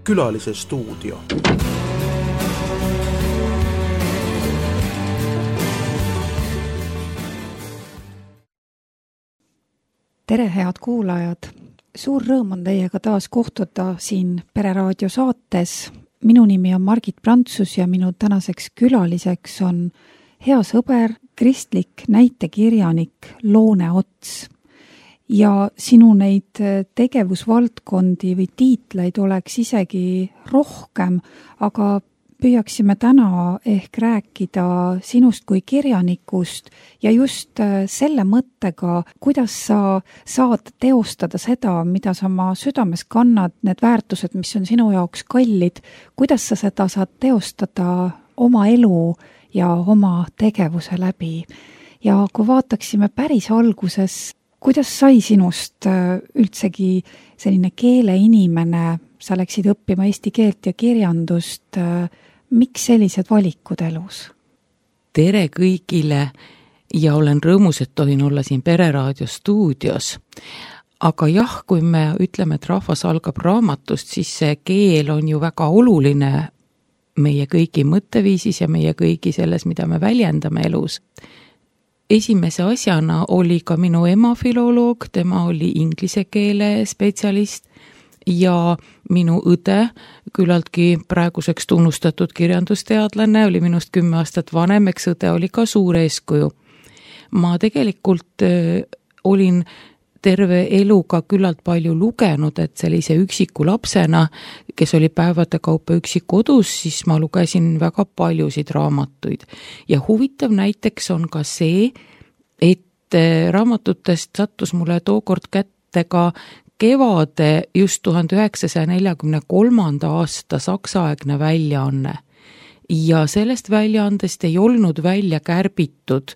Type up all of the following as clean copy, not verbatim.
Külalise stuudio. Tere, head kuulajad! Suur rõõm on teiega taas kohtuda siin Pereraadio saates. Minu nimi on Margit Prantsus ja minu tänaseks külaliseks on hea sõber, kristlik näitekirjanik Loone Ots. Ja sinu neid tegevusvaldkondi või tiitleid oleks isegi rohkem, aga püüaksime täna ehk rääkida sinust kui kirjanikust ja just selle mõttega, kuidas sa saad teostada seda, mida sa oma südames kannad, need väärtused, mis on sinu jaoks kallid, kuidas sa seda saad teostada oma elu ja oma tegevuse läbi. Ja kui vaataksime päris alguses, kuidas sai sinust üldsegi selline keeleinimene, sa läksid õppima eesti keelt ja kirjandust, miks sellised valikud elus? Tere kõigile ja olen rõõmus, et tohin olla siin Pereraadio stuudios. Aga jah, kui me ütleme, et rahvas algab raamatust, siis see keel on ju väga oluline meie kõigi mõtteviisis ja meie kõigi selles, mida me väljendame elus. Esimese asjana oli ka minu ema filoloog, tema oli inglise keele spetsialist ja minu õde, küllaltki praeguseks tunnustatud kirjandusteadlane, oli minust 10 aastat vanem, eks õde oli ka suur eeskuju. Ma tegelikult olin terve eluga küllalt palju lugenud, et sellise üksiku lapsena, kes oli päevade kaupa üksi kodus, siis ma lugesin väga paljusid raamatuid. Ja huvitav näiteks on ka see, et raamatutest sattus mulle tookord kätte ka Kevade just 1943. aasta saksaegne väljaanne. Ja sellest väljaandest ei olnud välja kärbitud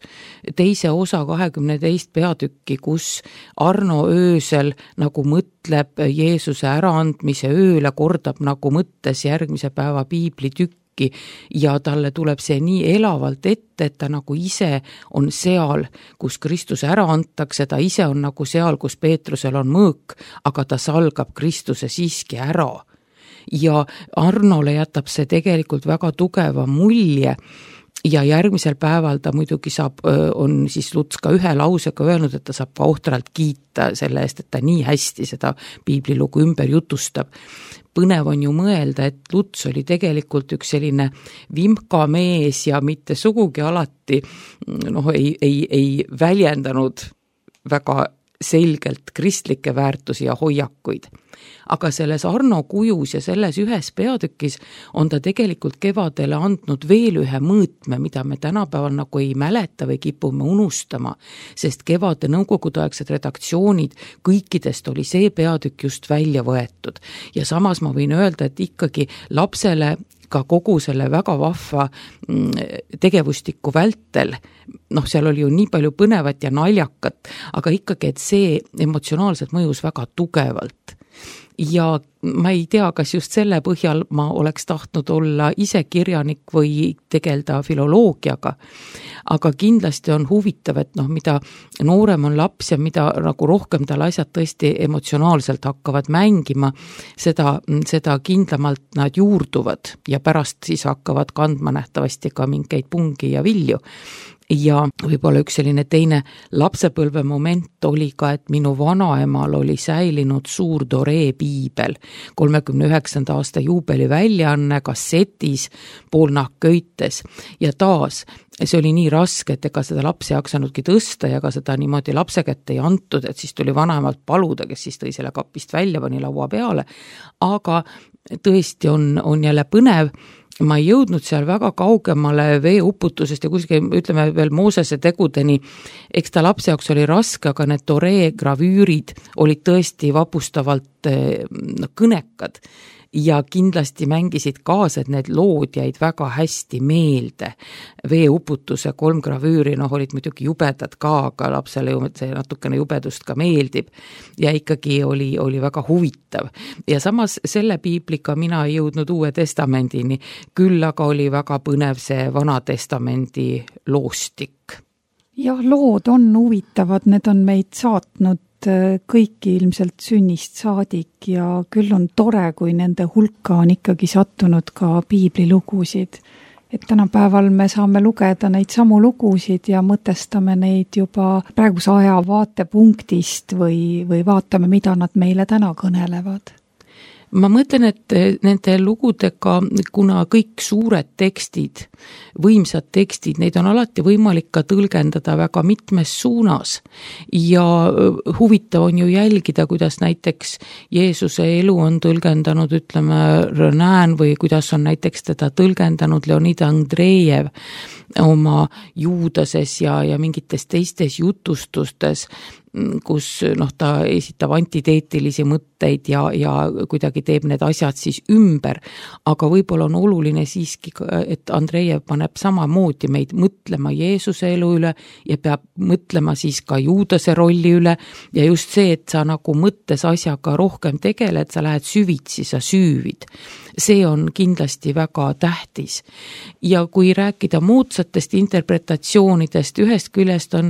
teise osa 22 peatükki, kus Arno öösel nagu mõtleb Jeesuse äraandmise ööle, kordab nagu mõttes järgmise päeva piiblitükki ja talle tuleb see nii elavalt ette, et ta nagu ise on seal, kus Kristus ära antakse, ta ise on nagu seal, kus Peetrusel on mõõk, aga ta salgab Kristuse siiski ära. Ja Arnole jätab see tegelikult väga tugeva mulje ja järgmisel päeval ta muidugi on siis Luts ka ühe lausega öelnud, et ta saab ka ohtralt kiita selle eest, et ta nii hästi seda piiblilugu ümber jutustab. Põnev on ju mõelda, et Luts oli tegelikult üks selline vimka mees ja mitte sugugi alati ei väljendanud väga selgelt kristlikke väärtusi ja hoiakuid. Aga selles Arno kujus ja selles ühes peatükis on ta tegelikult Kevadele andnud veel ühe mõõtme, mida me tänapäeval nagu ei mäleta või kipume unustama, sest Kevade nõukogudeaegsed redaktsioonid, kõikidest oli see peatükk just välja võetud. Ja samas ma võin öelda, et ikkagi lapsele ka kogu selle väga vahva tegevustiku vältel, seal oli ju nii palju põnevat ja naljakat, aga ikkagi, et see emotsionaalselt mõjus väga tugevalt. Ja ma ei tea, kas just selle põhjal ma oleks tahtnud olla ise kirjanik või tegelda filoloogiaga, aga kindlasti on huvitav, et mida noorem on laps ja mida nagu rohkem tal asjad tõesti emotsionaalselt hakkavad mängima, seda kindlamalt nad juurduvad ja pärast siis hakkavad kandma nähtavasti ka mingeid pungi ja vilju. Ja võib-olla üks selline teine lapsepõlve moment oli ka, et minu vanaemal oli säilinud suur Doree piibel, 39. aasta juubeli väljaanne kassetis, poolnahkköites ja taas see oli nii raske, et ega seda laps ei jaksanudki tõsta ja ka seda niimoodi lapse kätte ei antud, et siis tuli vanaemalt paluda, kes siis tõi selle kapist välja, pani laua peale, aga tõesti on jälle põnev. Ma ei jõudnud seal väga kaugemale veeuputusest ja kuskil, ütleme veel Moosese tegudeni, eks ta lapse jaoks oli raske, aga need Doree gravüürid olid tõesti vapustavalt kõnekad ja kindlasti mängisid kaasa, et need lood jäid väga hästi meelde. Veeuputuse 3 gravüüri, olid muidugi jubedad ka, aga lapsele see natukene jubedust ka meeldib ja ikkagi oli väga huvitav. Ja samas selle piibliga mina ei jõudnud Uue Testamendini, küll aga oli väga põnev see Vana Testamendi loostik. Jah, lood on huvitavad, need on meid saatnud kõiki ilmselt sünnist saadik ja küll on tore, kui nende hulka on ikkagi sattunud ka piiblilugusid. Et tänapäeval me saame lugeda neid samu lugusid ja mõtestame neid juba praeguse aja vaatepunktist või vaatame, mida nad meile täna kõnelevad. Ma mõtlen, et nende lugudega, kuna kõik suured tekstid, võimsad tekstid, neid on alati võimalik ka tõlgendada väga mitmes suunas ja huvitav on ju jälgida, kuidas näiteks Jeesuse elu on tõlgendanud, ütleme, Renan või kuidas on näiteks teda tõlgendanud Leonid Andrejev oma Juudases ja mingites teistes jutustustes, kus ta esitab antiteetilisi mõtteid ja kuidagi teeb need asjad siis ümber, aga võib-olla on oluline siiski, et Andrejev paneb samamoodi meid mõtlema Jeesuse elu üle ja peab mõtlema siis ka Juudase rolli üle ja just see, et sa nagu mõttes asjaga rohkem tegeled, sa lähed süvitsi, sa süüvid. See on kindlasti väga tähtis. Ja kui rääkida moodsatest interpretatsioonidest, ühest küljest on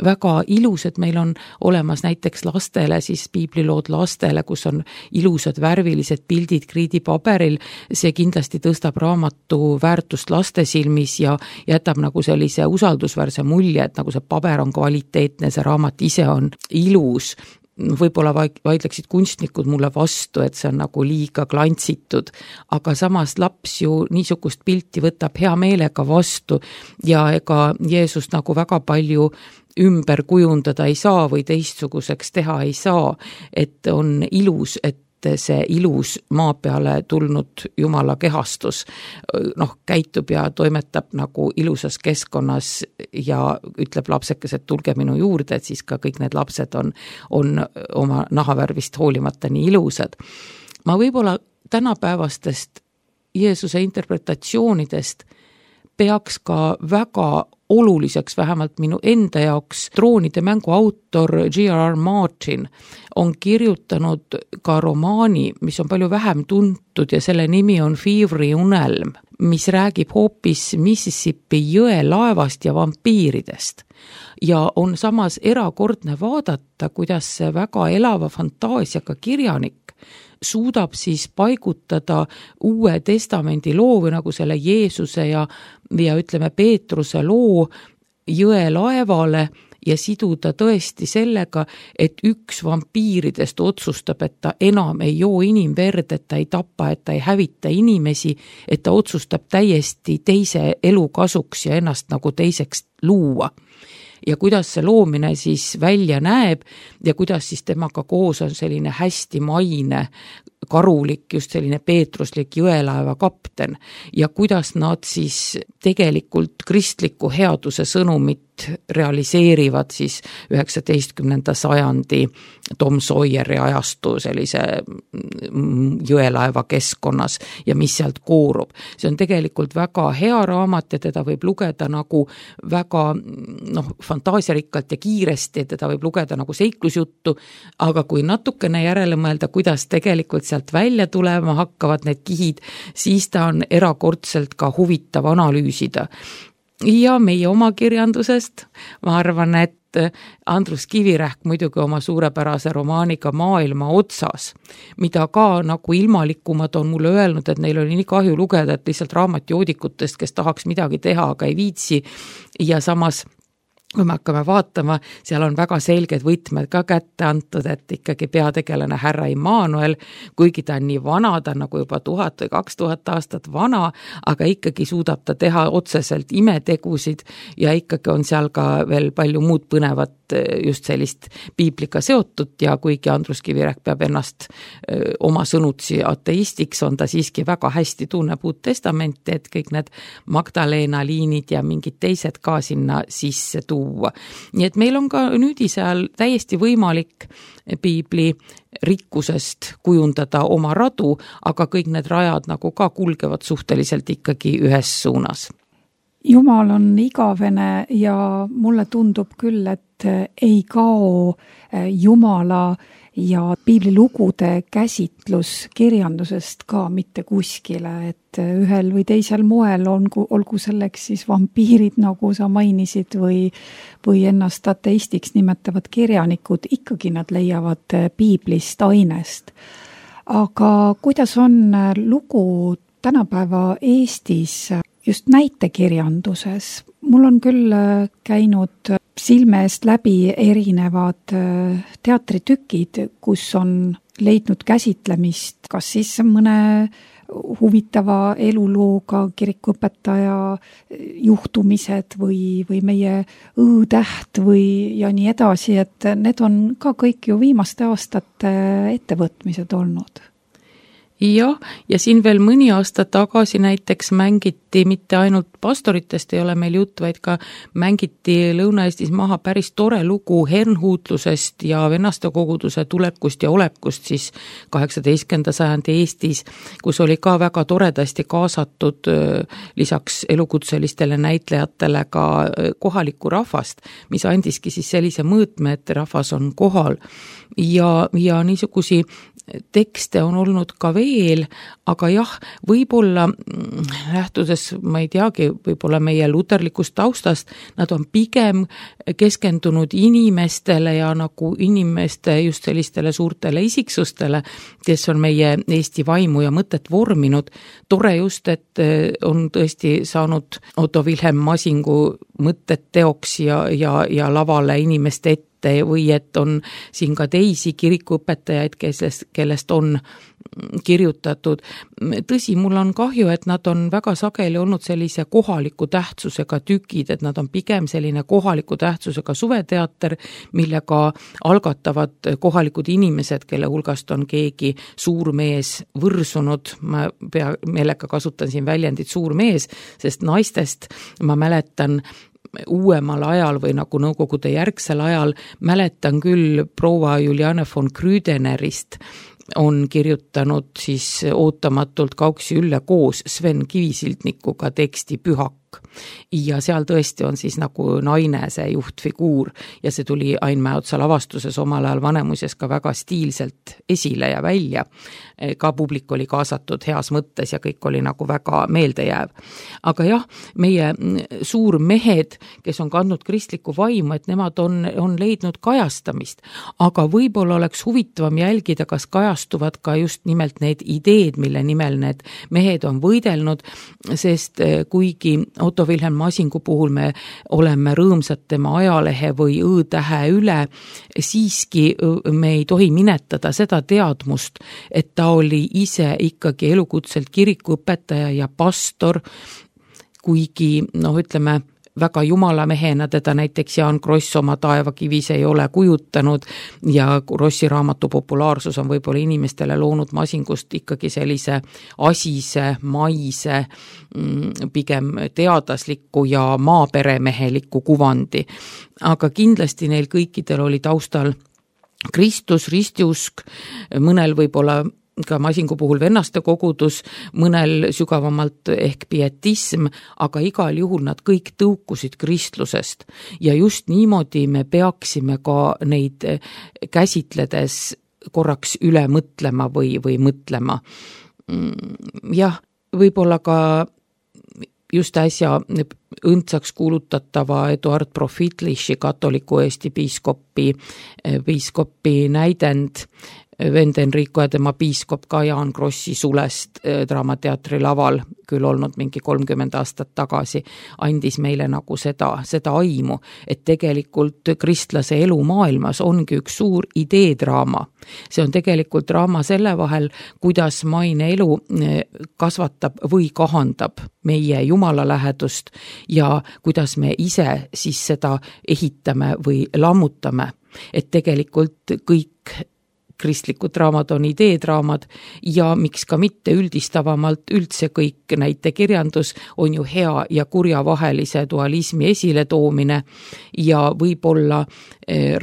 väga ilus, et meil on olemas näiteks lastele, siis piiblilood lastele, kus on ilusad värvilised pildid kriidipaberil, see kindlasti tõstab raamatu väärtust laste silmis ja jätab nagu sellise usaldusväärse mulje, et nagu see paber on kvaliteetne, see raamat ise on ilus. Võib-olla vaidleksid kunstnikud mulle vastu, et see on nagu liiga glantsitud, aga samas laps ju niisugust pilti võtab hea meelega vastu ja ega Jeesust nagu väga palju ümber kujundada ei saa või teistsuguseks teha ei saa, et on ilus, et see ilus maa peale tulnud Jumala kehastus käitub ja toimetab nagu ilusas keskkonnas ja ütleb lapsekes, et tulge minu juurde, et siis ka kõik need lapsed on oma nahavärvist hoolimata nii ilusad. Ma võib-olla tänapäevastest Jeesuse interpretatsioonidest peaks ka väga oluliseks, vähemalt minu enda jaoks, Troonide mängu autor J.R.R. Martin on kirjutanud ka romaani, mis on palju vähem tuntud ja selle nimi on Fevery unelm, mis räägib hoopis Mississippi jõe laevast ja vampiiridest. Ja on samas erakordne vaadata, kuidas see väga elava fantaasiaga kirjanik suudab siis paigutada Uue Testamendi loo või nagu selle Jeesuse ja ütleme Peetruse loo jõe laevale ja siduda tõesti sellega, et üks vampiiridest otsustab, et ta enam ei joo inimverd, et ta ei tapa, et ta ei hävita inimesi, et ta otsustab täiesti teise elu kasuks ja ennast nagu teiseks luua. Ja kuidas see loomine siis välja näeb ja kuidas siis temaga koos on selline hästi maine, karulik, just selline peetruslik jõelaeva kapten ja kuidas nad siis tegelikult kristliku headuse sõnumit realiseerivad siis 19. sajandi Tom Sawyeri ajastu sellise jõelaeva keskkonnas ja mis sealt koorub. See on tegelikult väga hea raamat ja teda võib lugeda nagu väga fantaasiarikkalt ja kiiresti, teda võib lugeda nagu seiklusjuttu, aga kui natukene järele mõelda, kuidas tegelikult sealt välja tulema hakkavad need kihid, siis ta on erakordselt ka huvitav analüüsida. Ja meie oma kirjandusest, ma arvan, et Andrus Kivirähk muidugi oma suurepärase romaaniga Maailma otsas, mida ka nagu ilmalikumad on mulle öelnud, et neil oli nii kahju lugeda, et lihtsalt raamatjoodikutest, kes tahaks midagi teha, aga ei viitsi ja samas kui me hakkame vaatama, seal on väga selged võtmed ka kätte antud, et ikkagi peategelane härra Immanuel, kuigi ta on nii vana, ta on nagu juba 1000 või 2000 aastat vana, aga ikkagi suudab ta teha otseselt imetegusid ja ikkagi on seal ka veel palju muud põnevat just sellist piibliga seotud ja kuigi Andrus Kivirähk peab ennast oma sõnutsi ateistiks, on ta siiski väga hästi tunneb Uut Testamenti, et kõik need Magdalena liinid ja mingid teised ka sinna sisse tuua. Nii et meil on ka nüüdise ajal täiesti võimalik piibli rikkusest kujundada oma radu, aga kõik need rajad nagu ka kulgevad suhteliselt ikkagi ühes suunas. Jumal on igavene ja mulle tundub küll, et ei kao Jumala ja piiblilugude käsitlus kirjandusest ka mitte kuskile, et ühel või teisel moel olgu selleks siis vampiirid, nagu sa mainisid, või ennast ateistiks nimetavad kirjanikud, ikkagi nad leiavad piiblist ainest. Aga kuidas on lugu tänapäeva Eestis just näitekirjanduses? Mul on küll käinud silme eest läbi erinevad teatritükid, kus on leidnud käsitlemist kas siis mõne huvitava elulooga, kirikuõpetaja juhtumised või meie õõtäht ja nii edasi, et need on ka kõik ju viimaste aastate ettevõtmised olnud. Jah, ja siin veel mõni aasta tagasi näiteks mängiti, mitte ainult pastoritest ei ole meil jutt, vaid ka mängiti Lõuna-Eestis maha päris tore lugu hernhuutlusest ja vennastekoguduse tulekust ja olekust siis 18. sajandi Eestis, kus oli ka väga toredasti kaasatud lisaks elukutselistele näitlejatele ka kohalikku rahvast, mis andiski siis sellise mõõtme, et rahvas on kohal ja niisugusi tekste on olnud ka veel, aga jah, võib-olla lähtudes, ma ei teagi, võib-olla meie luterlikust taustast, nad on pigem keskendunud inimestele ja nagu inimeste just sellistele suurtele isiksustele, kes on meie Eesti vaimu ja mõtet vorminud. Tore just, et on tõesti saanud Otto Wilhelm Masingu mõtted teoks ja lavale inimeste ette, või et on siin ka teisi kirikuõpetajaid, kellest on kirjutatud. Tõsi, mul on kahju, et nad on väga sageli olnud sellise kohaliku tähtsusega tükid, et nad on pigem selline kohaliku tähtsusega suveteater, millega algatavad kohalikud inimesed, kelle hulgast on keegi suur mees võrsunud. Ma meelega kasutan siin väljendit suur mees, sest naistest ma mäletan uuemal ajal või nagu nõukogude järgsel ajal mäletan küll proua Juliane von Krüdenerist on kirjutanud siis ootamatult Kauksi Ülle koos Sven Kivisildnikuga teksti Pühak. Ja seal tõesti on siis nagu naine see juhtfiguur ja see tuli Ain Mäeotsa lavastuses omal ajal Vanemuises ka väga stiilselt esile ja välja. Ka publik oli kaasatud heas mõttes ja kõik oli nagu väga meeldejääv. Aga jah, meie suurmehed, kes on kandnud kristlikku vaimu, et nemad on leidnud kajastamist, aga võib-olla oleks huvitavam jälgida, kas kajastuvad ka just nimelt need ideed, mille nimel need mehed on võidelnud, sest kuigi Otto Wilhelm Masingu puhul me oleme rõõmsad tema ajalehe või õõtähe üle, siiski me ei tohi minetada seda teadmust, et ta oli ise ikkagi elukutselt kirikuõpetaja ja pastor, kuigi ütleme, väga jumalamehena teda näiteks Jaan Kross oma Taevakivis ei ole kujutanud ja Krossi raamatu populaarsus on võib-olla inimestele loonud Masingust ikkagi sellise asise, maise, pigem teadasliku ja maaperemeheliku kuvandi. Aga kindlasti neil kõikidel oli taustal Kristus, ristiusk, mõnel võib-olla ka Masingu puhul vennastekogudus, mõnel sügavamalt ehk pietism, aga igal juhul nad kõik tõukusid kristlusest. Ja just niimoodi me peaksime ka neid käsitledes korraks üle mõtlema või mõtlema. Jah, võib-olla ka just äsja õndsaks kuulutatava Eduard Profitliši katoliku Eesti piiskopi näidend, vend Enrico ja tema piiskop ka Jaan Krossi sulest Draamateatri laval, küll olnud mingi 30 aastat tagasi, andis meile nagu seda aimu, et tegelikult kristlase elu maailmas ongi üks suur ideedraama. See on tegelikult draama selle vahel, kuidas maine elu kasvatab või kahandab meie Jumala lähedust ja kuidas me ise siis seda ehitame või lammutame. Et tegelikult kõik kristlikud draamad on ideedraamad ja miks ka mitte üldistavamalt üldse kõik näitekirjandus on ju hea ja kurja vahelise dualismi esiletoomine ja võib-olla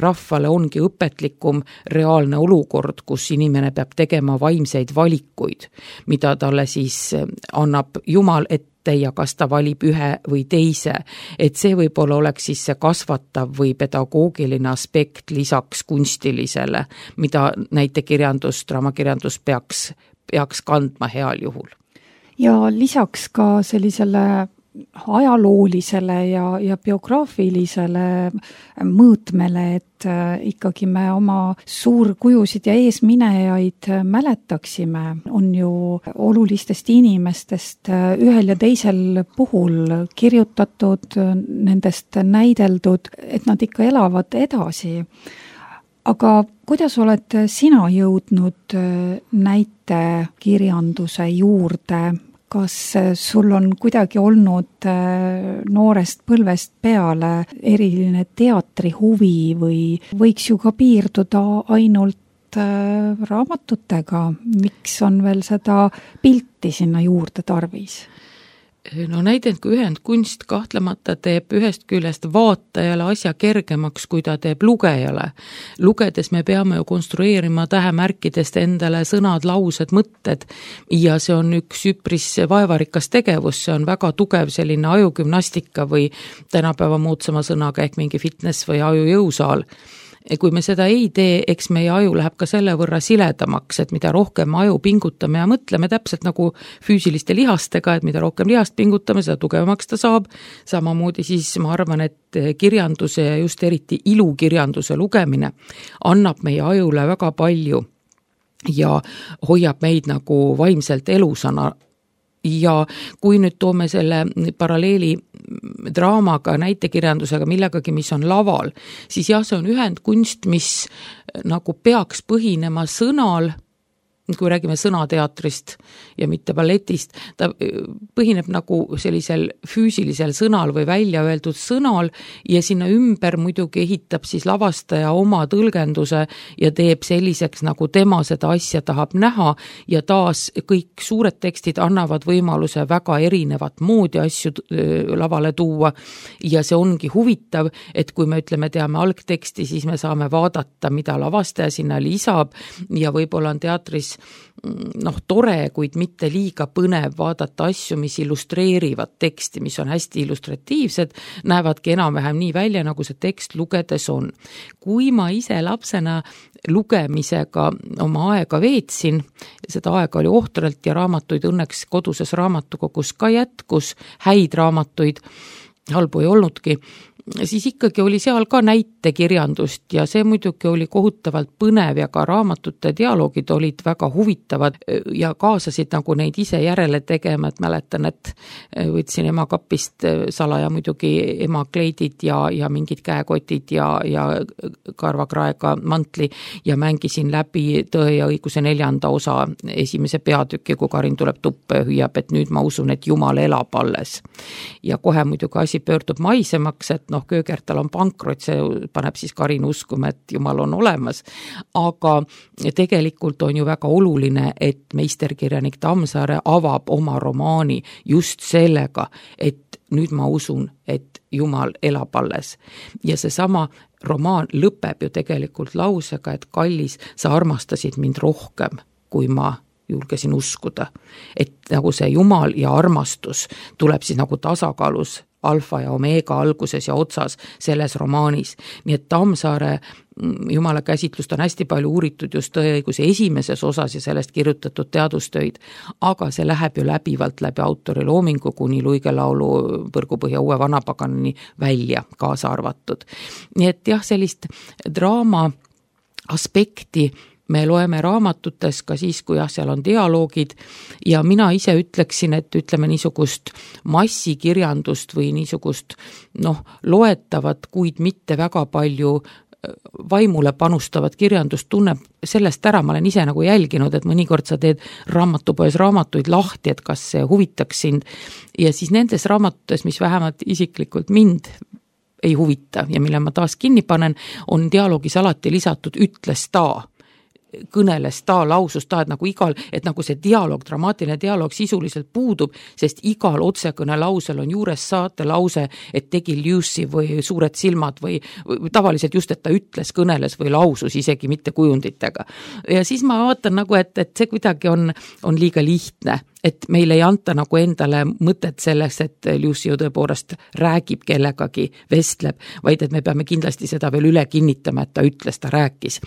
rahvale ongi õpetlikum reaalne olukord, kus inimene peab tegema vaimseid valikuid, mida talle siis annab Jumal ette kätte ja kas ta valib ühe või teise, et see võib-olla oleks siis see kasvatav või pedagoogiline aspekt lisaks kunstilisele, mida näitekirjandus, draamakirjandus peaks kandma heal juhul. Ja lisaks ka sellisele ajaloolisele ja biograafilisele mõõtmele, et ikkagi me oma suurkujusid ja eesminejaid mäletaksime, on ju olulistest inimestest ühel ja teisel puhul kirjutatud, nendest näideldud, et nad ikka elavad edasi. Aga kuidas oled sina jõudnud näitekirjanduse juurde? Kas sul on kuidagi olnud noorest põlvest peale eriline teatrihuvi või võiks ju ka piirduda ainult raamatutega? Miks on veel seda pilti sinna juurde tarvis? No näidengu ühendkunst kahtlemata teeb ühest küljest vaatajale asja kergemaks, kui ta teeb lugejale. Lugedes me peame ju konstrueerima tähemärkidest endale sõnad, laused, mõtted ja see on üks üpris vaevarikas tegevus, see on väga tugev selline ajugümnastika või tänapäeva moodsama sõnaga ehk mingi fitness või ajujõusaal. Kui me seda ei tee, eks meie aju läheb ka selle võrra siledamaks, et mida rohkem aju pingutame ja mõtleme täpselt nagu füüsiliste lihastega, et mida rohkem lihast pingutame, seda tugevamaks ta saab. Samamoodi siis ma arvan, et kirjanduse ja just eriti ilukirjanduse lugemine annab meie ajule väga palju ja hoiab meid nagu vaimselt elusana. Ja kui nüüd toome selle paralleeli draamaga, näitekirjandusega, millegagi, mis on laval, siis jah, see on ühendkunst, mis nagu peaks põhinema sõnal, kui räägime sõnateatrist ja mitte balletist, ta põhineb nagu sellisel füüsilisel sõnal või välja öeldud sõnal ja sinna ümber muidugi ehitab siis lavastaja oma tõlgenduse ja teeb selliseks, nagu tema seda asja tahab näha ja taas kõik suured tekstid annavad võimaluse väga erinevat moodi asju lavale tuua ja see ongi huvitav, et kui me teame algteksti, siis me saame vaadata, mida lavastaja sinna lisab ja võib-olla on teatris tore, kuid mitte liiga põnev vaadata asju, mis illustreerivad teksti, mis on hästi illustratiivsed, näevadki enam-vähem nii välja, nagu see tekst lugedes on. Kui ma ise lapsena lugemisega oma aega veetsin, seda aega oli ohtralt ja raamatuid õnneks koduses raamatukogus ka jätkus, häid raamatuid, halbu ei olnudki, siis ikkagi oli seal ka näitekirjandust ja see muidugi oli kohutavalt põnev ja ka raamatute dialoogid olid väga huvitavad ja kaasasid nagu neid ise järele tegema, et mäletan, et võtsin ema kapist salaja muidugi ema kleidid ja mingid käekotid ja karvakraega mantli ja mängisin läbi Tõe ja õiguse 4. osa esimese peatüki, kui Karin tuleb tuppa ja hüüab, et nüüd ma usun, et Jumal elab alles. Ja kohe muidugi asi pöördub maisemaks, et Köögertal on pankrot, see paneb siis Karin uskuma, et Jumal on olemas. Aga tegelikult on ju väga oluline, et meisterkirjanik Tammsaare avab oma romaani just sellega, et nüüd ma usun, et Jumal elab alles. Ja seesama romaan lõpeb ju tegelikult lausega, et kallis, sa armastasid mind rohkem, kui ma julgesin uskuda. Et nagu see Jumal ja armastus tuleb siis nagu tasakaalus alfa ja omeega alguses ja otsas selles romaanis. Nii et Tammsaare Jumala käsitlust on hästi palju uuritud just Tõeõiguse esimeses osas ja sellest kirjutatud teadustöid, aga see läheb ju läbivalt läbi autori loomingu kuni luigelaulu Põrgupõhja uue vanapaganini välja kaasa arvatud. Nii et jah, sellist draama aspekti me loeme raamatutes ka siis, kui seal on dialoogid ja mina ise ütleksin, et ütleme niisugust massikirjandust või niisugust loetavat, kuid mitte väga palju vaimule panustavat kirjandust tunneb sellest ära, ma olen ise nagu jälginud, et mõnikord sa teed raamatupoes raamatuid lahti, et kas see huvitaks sind ja siis nendes raamatutes, mis vähemalt isiklikult mind ei huvita ja mille ma taas kinni panen, on dialoogis alati lisatud ütles ta, kõneles ta, lausus ta, et nagu see dialoog, dramaatiline dialoog sisuliselt puudub, sest igal otsekõne lausel on juures saate lause, et tegi liussi või suured silmad või tavaliselt just, et ta ütles, kõneles või lausus isegi mitte kujunditega. Ja siis ma vaatan et see kuidagi on liiga lihtne et meil ei anta nagu endale mõtet selleks, et Lucy ju tõepoolest räägib kellegagi, vestleb, vaid et me peame kindlasti seda veel üle kinnitama, et ta ütles, ta rääkis.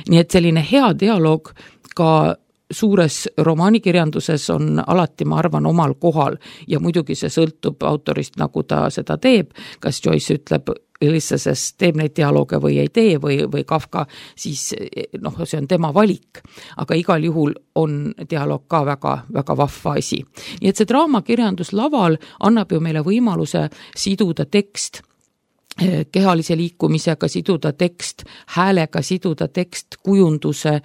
Nii et selline hea dialoog ka suures romaanikirjanduses on alati, ma arvan, omal kohal ja muidugi see sõltub autorist, nagu ta seda teeb, kas Joyce ütleb Ulysses teeb neid dialooge või ei tee või Kafka, siis see on tema valik. Aga igal juhul on dialoog ka väga, väga vahva asi. Nii et see draamakirjandus laval annab ju meile võimaluse siduda tekst kehalise liikumisega, siduda tekst häälega, siduda tekst kujunduse,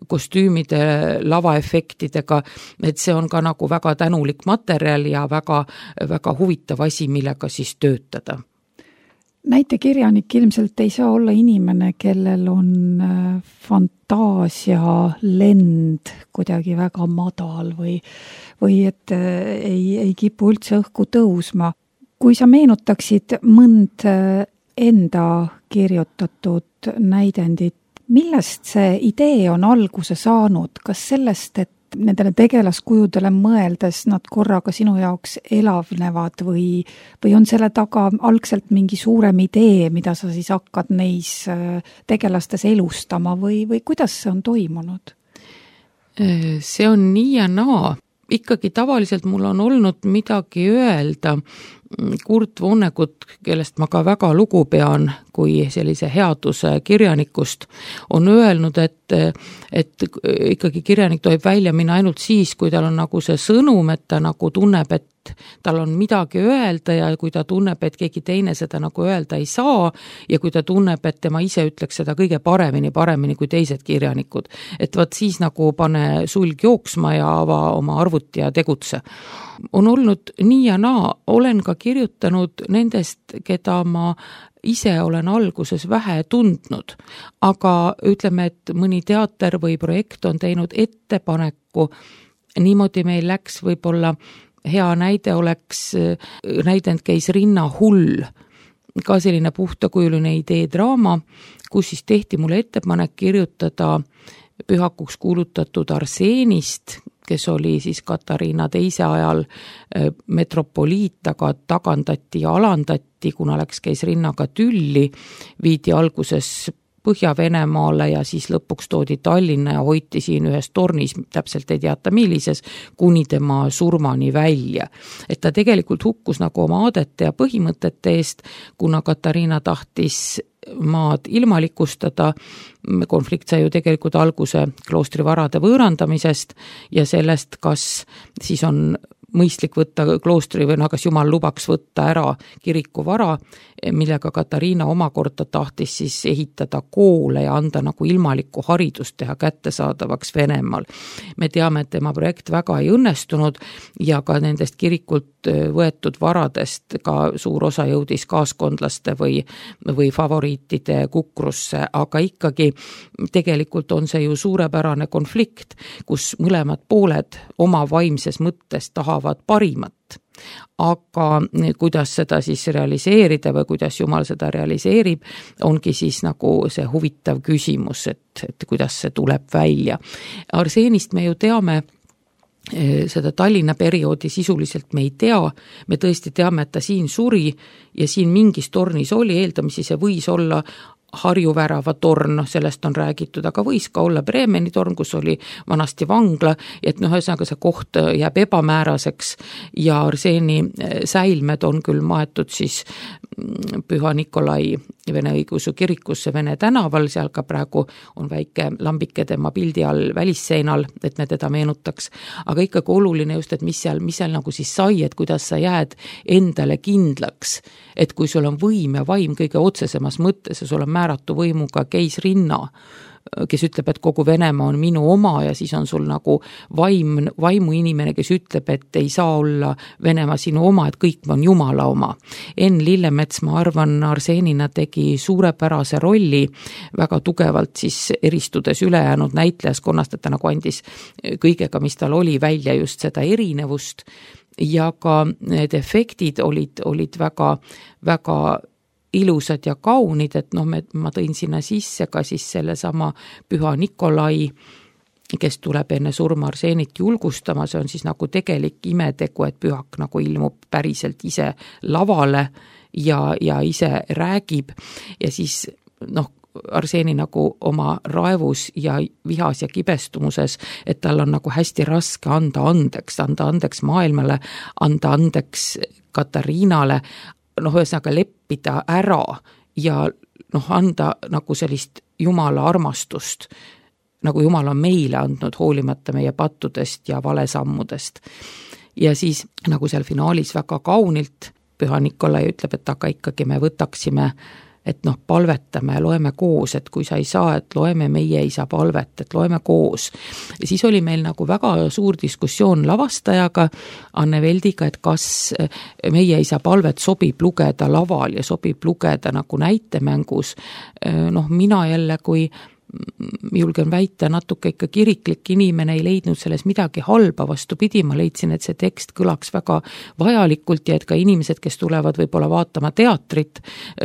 kostüümide, lavaefektidega, et see on ka nagu väga tänulik materjal ja väga, väga huvitav asi, millega siis töötada. Näitekirjanik ilmselt ei saa olla inimene, kellel on fantaasia lend kuidagi väga madal või et ei kipu üldse õhku tõusma. Kui sa meenutaksid mõnd enda kirjutatud näidendit, millest see idee on alguse saanud? Kas sellest, et nendele tegelaskujudele mõeldes nad korraga sinu jaoks elavnevad või on selle taga algselt mingi suurem idee, mida sa siis hakkad neis tegelastes elustama või kuidas see on toimunud? See on nii ja naa. Ikkagi tavaliselt mul on olnud midagi öelda. Kurt Vonnegut, kellest ma ka väga lugu pean kui sellise headuse kirjanikust, on öelnud, et ikkagi kirjanik tohib välja minna ainult siis, kui tal on nagu see sõnum, et ta nagu tunneb, et tal on midagi öelda ja kui ta tunneb, et keegi teine seda nagu öelda ei saa ja kui ta tunneb, et tema ise ütleks seda kõige paremini kui teised kirjanikud. Et vaat siis nagu pane sulg jooksma ja ava oma arvuti ja tegutse. On olnud nii ja naa, olen ka kirjutanud nendest, keda ma ise olen alguses vähe tundnud, aga ütleme, et mõni teater või projekt on teinud ettepaneku, niimoodi meil läks võib-olla hea näide oleks näidend käis Rinna hull, ka selline puhtakujuline idee draama, kus siis tehti mulle ettepanek kirjutada pühakuks kuulutatud Arseenist, kes oli siis Katariina teise ajal metropoliit, aga tagandati ja alandati, kuna käis Rinnaga tülli, viidi alguses Põhja-Venemaale ja siis lõpuks toodi Tallinna ja hoiti siin ühes tornis, täpselt ei teata millises, kuni tema surmani välja. Et ta tegelikult hukkus nagu oma aadete ja põhimõtete eest, kuna Katariina tahtis maad ilmalikustada, konflikt sai ju tegelikult alguse kloostri varade võõrandamisest ja sellest, kas siis on mõistlik võtta kloostri või kas Jumal lubaks võtta ära kiriku vara, millega Katariina omakorda tahtis siis ehitada koole ja anda nagu ilmalikku haridust teha kättesaadavaks Venemaal. Me teame, et tema projekt väga ei õnnestunud ja ka nendest kirikult võetud varadest ka suur osa jõudis kaaskondlaste või favoriitide kukrusse, aga ikkagi tegelikult on see ju suurepärane konflikt, kus mõlemad pooled oma vaimses mõttes tahavad parimat. Aga kuidas seda siis realiseerida või kuidas Jumal seda realiseerib, ongi siis nagu see huvitav küsimus, et kuidas see tuleb välja. Arseenist me ju teame, seda Tallinna perioodi sisuliselt me ei tea, me tõesti teame, et ta siin suri ja siin mingis tornis oli, eeldamisi see võis olla Harju värava torn, sellest on räägitud, aga võis ka olla Bremeni torn, kus oli vanasti vangla, et ühesõnaga see koht jääb ebamääraseks ja Arseeni säilmed on küll maetud siis Püha Nikolai Vene õigeusu kirikusse Vene tänaval, seal ka praegu on väike lambike tema pildi all välisseinal, et me teda meenutaks, aga ikkagi oluline just, et mis seal nagu siis sai, et kuidas sa jääd endale kindlaks, et kui sul on võim ja vaim kõige otsesemas mõttes ja sul on määratu võimuga keisrinna, kes ütleb, et kogu Venemaa on minu oma ja siis on sul nagu vaimu inimene, kes ütleb, et ei saa olla Venemaa sinu oma, et kõik on Jumala oma. Enn Lillemets, ma arvan, Arseenina tegi suurepärase rolli, väga tugevalt siis eristudes ülejäänud näitlejaskonnast, et ta nagu andis kõigega, mis tal oli, välja just seda erinevust ja ka need efektid olid väga, väga ilusad ja kaunid, et ma tõin sinna sisse ka siis selle sama Püha Nikolai kes tuleb enne surma Arseenit julgustama, see on siis nagu tegelik imetegu, et pühak nagu ilmub päriselt ise lavale ja ise räägib ja siis Arseeni nagu oma raevus ja vihas ja kibestumuses, et tal on nagu hästi raske anda andeks maailmale, anda andeks Katariinale, ühesõnaga leppida ära ja anda nagu sellist Jumala armastust, nagu Jumal on meile andnud hoolimata meie pattudest ja valesammudest. Ja siis nagu seal finaalis väga kaunilt Püha Nikolai ütleb, et aga ikkagi me võtaksime, et palvetame, loeme koos, et kui sa ei saa, et loeme meie isa palvet, et loeme koos. Ja siis oli meil nagu väga suur diskussioon lavastajaga, Anne Veldiga, et kas meie isa palvet sobib lugeda laval ja sobib lugeda nagu näitemängus. Mina jälle, kui julgen väita, natuke ikka kiriklik inimene ei leidnud selles midagi halba, vastupidi, ma leidsin, et see tekst kõlaks väga vajalikult ja et ka inimesed, kes tulevad võib-olla vaatama teatrit,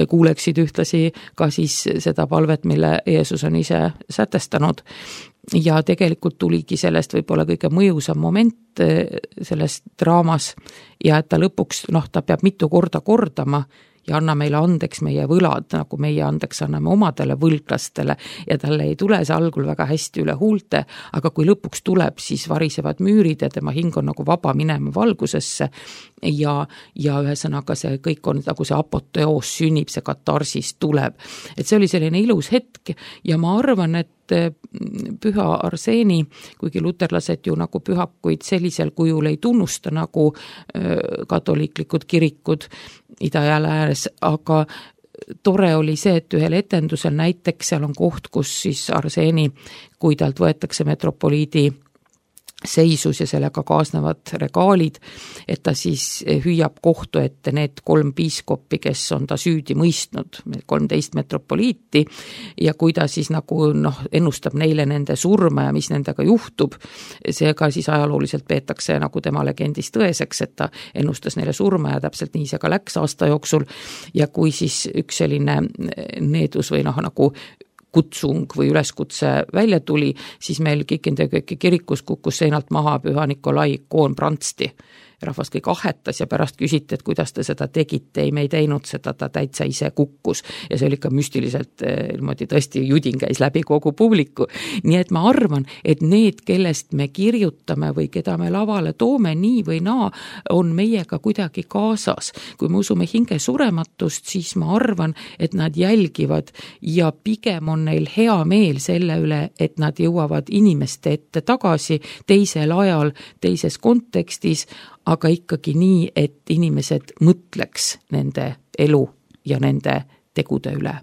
kuuleksid ühtlasi ka siis seda palvet, mille Jeesus on ise sätestanud. Ja tegelikult tuligi sellest võib-olla kõige mõjusam moment selles draamas ja et ta lõpuks, ta peab mitu korda kordama ja anna meile andeks meie võlad, nagu meie andeks anname omadele võlglastele ja talle ei tule see algul väga hästi üle huulte, aga kui lõpuks tuleb, siis varisevad müürid ja tema hing on nagu vaba minema valgusesse ja ühesõnaga see kõik on nagu see apoteoos sünnib, see katarsis tuleb. Et see oli selline ilus hetk ja ma arvan, et Püha Arseeni, kuigi luterlased ju nagu pühakuid sellisel kujul ei tunnusta nagu katoliiklikud kirikud ida ja läänes, aga tore oli see, et ühel etendusel näiteks seal on koht, kus siis Arseeni, kui talt võetakse metropoliidi seisus ja sellega kaasnevad regaalid, et ta siis hüüab kohtu ette need 3 piiskoppi, kes on ta süüdi mõistnud, 13 metropoliiti ja kui ta siis nagu ennustab neile nende surma ja mis nendega juhtub, seega siis ajalooliselt peetakse nagu tema legendis tõeseks, et ta ennustas neile surma ja täpselt nii see ka läks aasta jooksul ja kui siis üks selline needus või nagu kutsung või üleskutse välja tuli, siis meil Kikindekööki kirikus kukkus seinalt maha Püha Nikolai ikoon prantsti. Rahvas kõik ahetas ja pärast küsiti, et kuidas te seda tegite, ei me ei teinud seda, ta täitsa ise kukkus ja see oli ikka müstiliselt niimoodi tõesti judin käis läbi kogu publiku. Nii et ma arvan, et need, kellest me kirjutame või keda me lavale toome nii või naa, on meiega kuidagi kaasas. Kui me usume hinge surematust, siis ma arvan, et nad jälgivad ja pigem on neil hea meel selle üle, et nad jõuavad inimeste ette tagasi teisel ajal, teises kontekstis, aga ikkagi nii, et inimesed mõtleks nende elu ja nende tegude üle.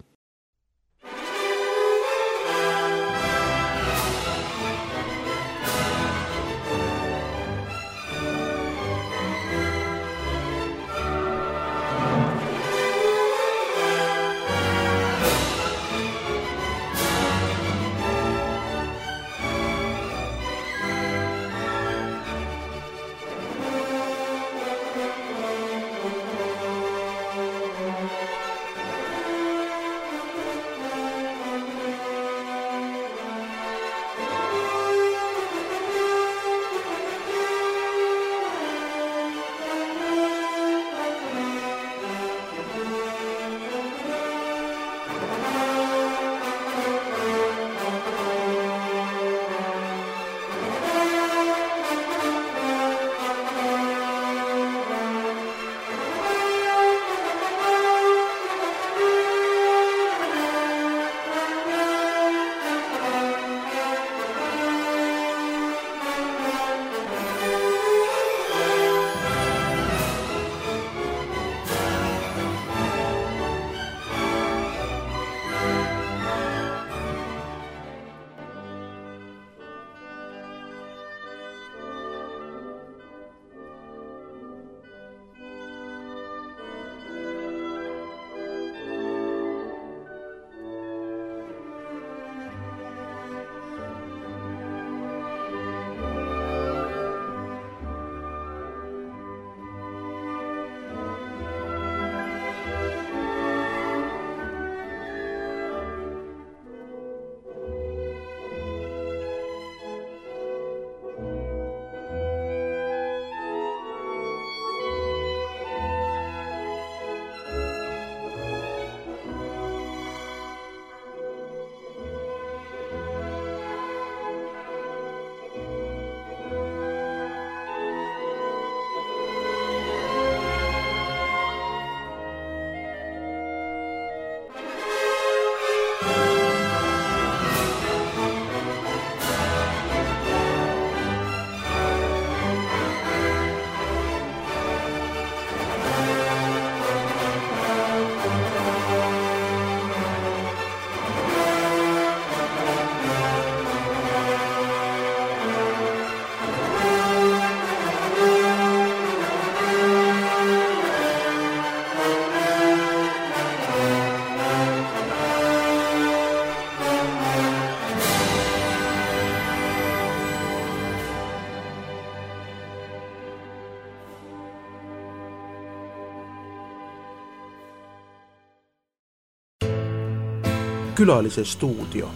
Külalise stuudio.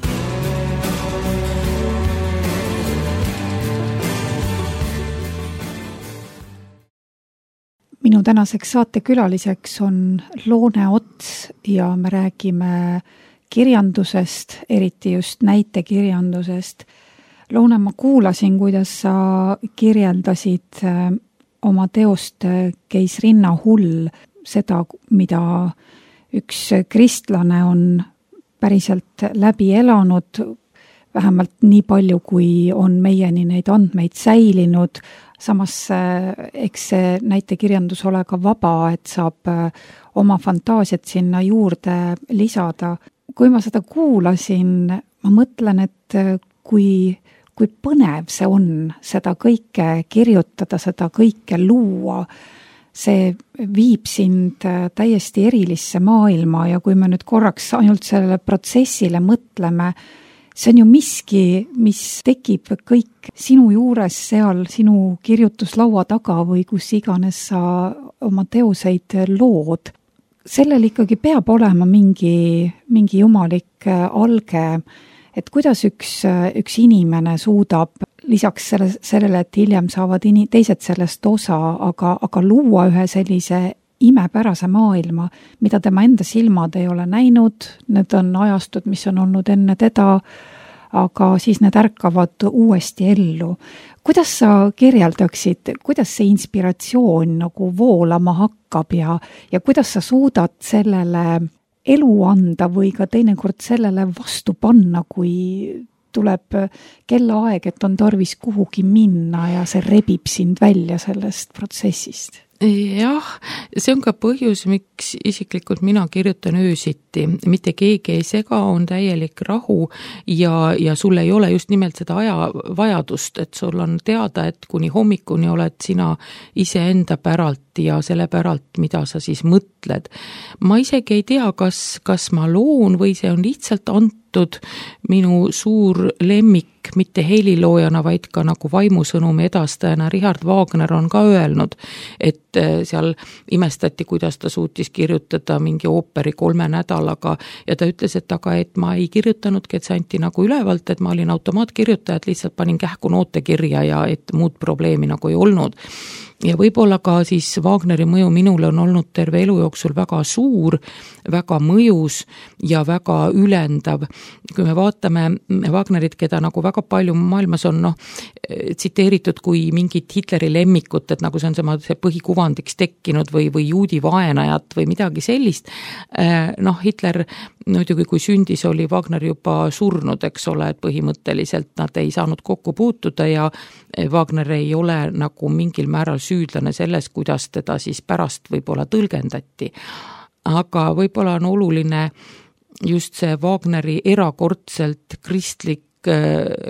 Minu tänaseks saatekülaliseks on Loone Ots ja me räägime kirjandusest, eriti just näitekirjandusest. Loone, ma kuulasin, kuidas sa kirjeldasid oma teost Keisrinna hull, seda, mida üks kristlane on päriselt läbi elanud, vähemalt nii palju, kui on meieni neid andmeid säilinud. Samas eks see näitekirjandus ole ka vaba, et saab oma fantaasiat sinna juurde lisada. Kui ma seda kuulasin, ma mõtlen, et kui põnev see on seda kõike kirjutada, seda kõike luua, see viib sind täiesti erilisse maailma ja kui me nüüd korraks ainult sellele protsessile mõtleme, see on ju miski, mis tekib kõik sinu juures seal, sinu kirjutuslaua taga või kus iganes sa oma teoseid lood. Sellel ikkagi peab olema mingi jumalik alge, et kuidas üks inimene suudab lisaks sellele, et hiljem saavad teised sellest osa, aga luua ühe sellise imepärase maailma, mida tema enda silmad ei ole näinud, need on ajastud, mis on olnud enne teda, aga siis need ärkavad uuesti ellu. Kuidas sa kirjeldaksid, kuidas see inspiratsioon nagu voolama hakkab ja kuidas sa suudad sellele elu anda või ka teinekord sellele vastu panna, kui tuleb kellaaeg, et on tarvis kuhugi minna ja see rebib sind välja sellest protsessist? Jah, see on ka põhjus, miks isiklikult mina kirjutan öösiti. Mitte keegi ei sega, on täielik rahu ja sul ei ole just nimelt seda ajavajadust, et sul on teada, et kuni hommikuni oled sina iseenda päralt ja selle päralt, mida sa siis mõtled. Ma isegi ei tea, kas ma loon või see on lihtsalt antud minu suur lemmik, mitte heliloojana, vaid ka nagu vaimusõnumi edastajana. Richard Wagner on ka öelnud, et seal imestati, kuidas ta suutis kirjutada mingi ooperi 3 nädalaga ja ta ütles, et ma ei kirjutanudki, et see anti nagu ülevalt, et ma olin automaatkirjutaja, et lihtsalt panin kähku noote kirja ja et muud probleemi nagu ei olnud. Ja võib-olla ka siis Wagneri mõju minule on olnud terve elu jooksul väga suur, väga mõjus ja väga ülendav. Kui me vaatame Wagnerit, keda nagu väga palju maailmas on tsiteeritud kui mingit Hitleri lemmikut, et nagu see on see põhikuvandiks tekkinud või juudi vaenajat või midagi sellist. Hitler muidugi kui sündis, oli Wagner juba surnud, eks ole, et põhimõtteliselt nad ei saanud kokku puutuda ja Wagner ei ole nagu mingil määral süüdlane selles, kuidas teda siis pärast võib-olla tõlgendati. Aga võib-olla on oluline just see Wagneri erakordselt kristlik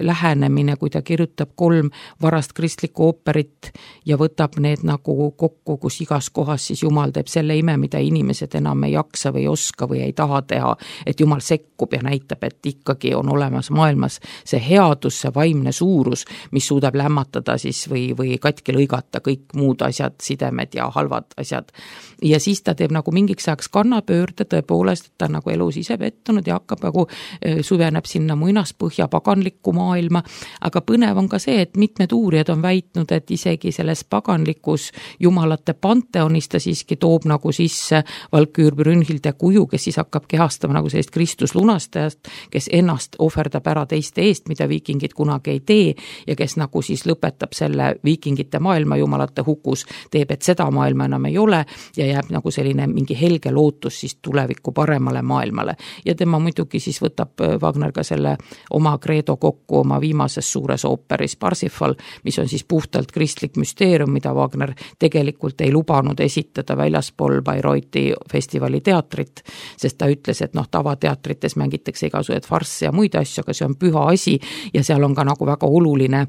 lähenemine, kui ta kirjutab 3 varast kristlikku ooperit ja võtab need nagu kokku, kus igas kohas siis Jumal teeb selle ime, mida inimesed enam ei jaksa või oska või ei taha teha, et Jumal sekkub ja näitab, et ikkagi on olemas maailmas see headus, see vaimne suurus, mis suudab lämmatada siis või katki lõigata kõik muud asjad, sidemed ja halvad asjad. Ja siis ta teeb nagu mingiks ajaks kannapöörde tõepoolest, et ta nagu elus ise pettunud ja hakkab nagu süveneb sinna muinaspõhja paganlikku maailma, aga põnev on ka see, et mitmed uurijad on väitnud, et isegi selles paganlikus jumalate panteonis ta siiski toob nagu sisse Valküür Brünnhilde kuju, kes siis hakkab kehastama nagu sellist Kristuslunastajast, kes ennast ohverdab ära teiste eest, mida viikingid kunagi ei tee ja kes nagu siis lõpetab selle viikingite maailma jumalate hukus, teeb, et seda maailma enam ei ole ja jääb nagu selline mingi helge lootus siis tuleviku paremale maailmale. Ja tema muidugi siis võtab Wagner ka selle oma kreedo kokku oma viimases suures ooperis Parsifal, mis on siis puhtalt kristlik müsteerium, mida Wagner tegelikult ei lubanud esitada väljaspool Bayreuthi festivali teatrit, sest ta ütles, et tavateatrites mängitakse igasuguseid farsse ja muid asju, aga see on püha asi ja seal on ka nagu väga oluline,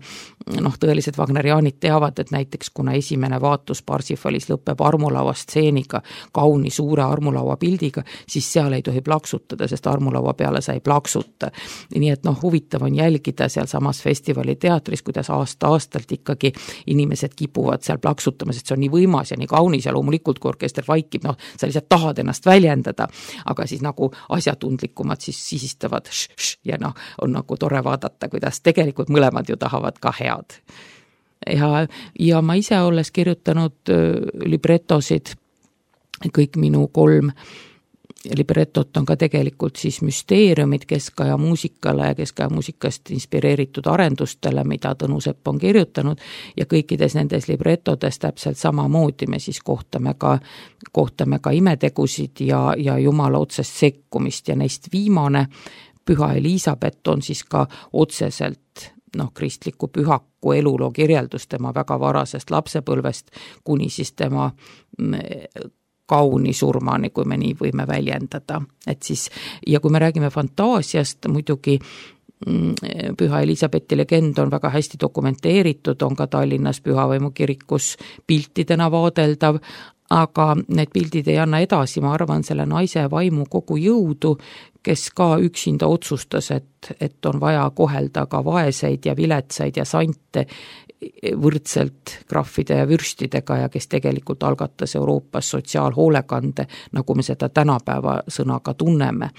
tõelised Wagneriaanid teavad, et näiteks kuna esimene vaatus Parsifalis lõpeb armulaua stseeniga, kauni suure armulaua pildiga, siis seal ei tohi plaksutada, sest armulaua peale sa ei plaksuta. Nii et huvitav huvitav on jälgida seal samas festivali teatris, kuidas aasta-aastalt ikkagi inimesed kipuvad seal plaksutama, sest see on nii võimas ja nii kaunis ja loomulikult, kui orkester vaikib, noh, sa lihtsalt tahad ennast väljendada, aga siis nagu asjatundlikumad siis sisistavad ja noh, on nagu tore vaadata, kuidas tegelikult mõlemad ju tahavad ka head. Ja ma ise olles kirjutanud libretosid, kõik minu 3 libretot on ka tegelikult siis müsteeriumid Keskaja muusikale ja Keskaja muusikast inspireeritud arendustele, mida Tõnu Sepp on kirjutanud ja kõikides nendes libretodes täpselt samamoodi me siis kohtame ka imetegusid ja Jumala otsest sekkumist ja neist viimane, Püha Elisabeth, on siis ka otseselt kristliku pühaku eluloo kirjeldus tema väga varasest lapsepõlvest kuni siis tema kauni surmani, kui me nii võime väljendada. Et siis, ja kui me räägime fantaasiast, muidugi Püha Elisabethi legend on väga hästi dokumenteeritud, on ka Tallinnas Pühavaimu kirikus piltidena vaadeldav, aga need pildid ei anna edasi, ma arvan, selle naise vaimu kogu jõudu, kes ka üksinda otsustas, et on vaja kohelda ka vaeseid ja viletsaid ja sante võrdselt krahvide ja vürstidega ja kes tegelikult algatas Euroopas sotsiaalhoolekande, nagu me seda tänapäeva sõnaga tunneme.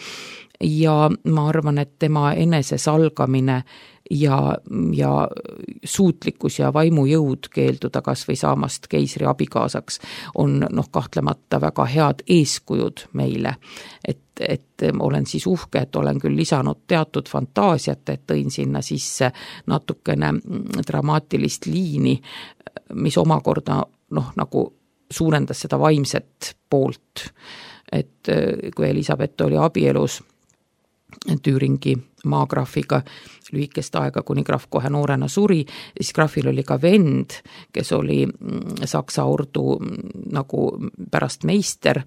Ja ma arvan, et tema enesesalgamine ja suutlikkus ja vaimujõud keelduda kas või saamast keisri abikaasaks on kahtlemata väga head eeskujud meile. Et olen siis uhke, et olen küll lisanud teatud fantaasiat, et tõin sinna sisse natukene dramaatilist liini, mis omakorda nagu suurendas seda vaimset poolt. Et kui Elisabeth oli abielus Tüüringi maagraafiga lühikest aega, kuni graaf kohe noorena suri, siis graafil oli ka vend, kes oli Saksa ordu nagu pärast meister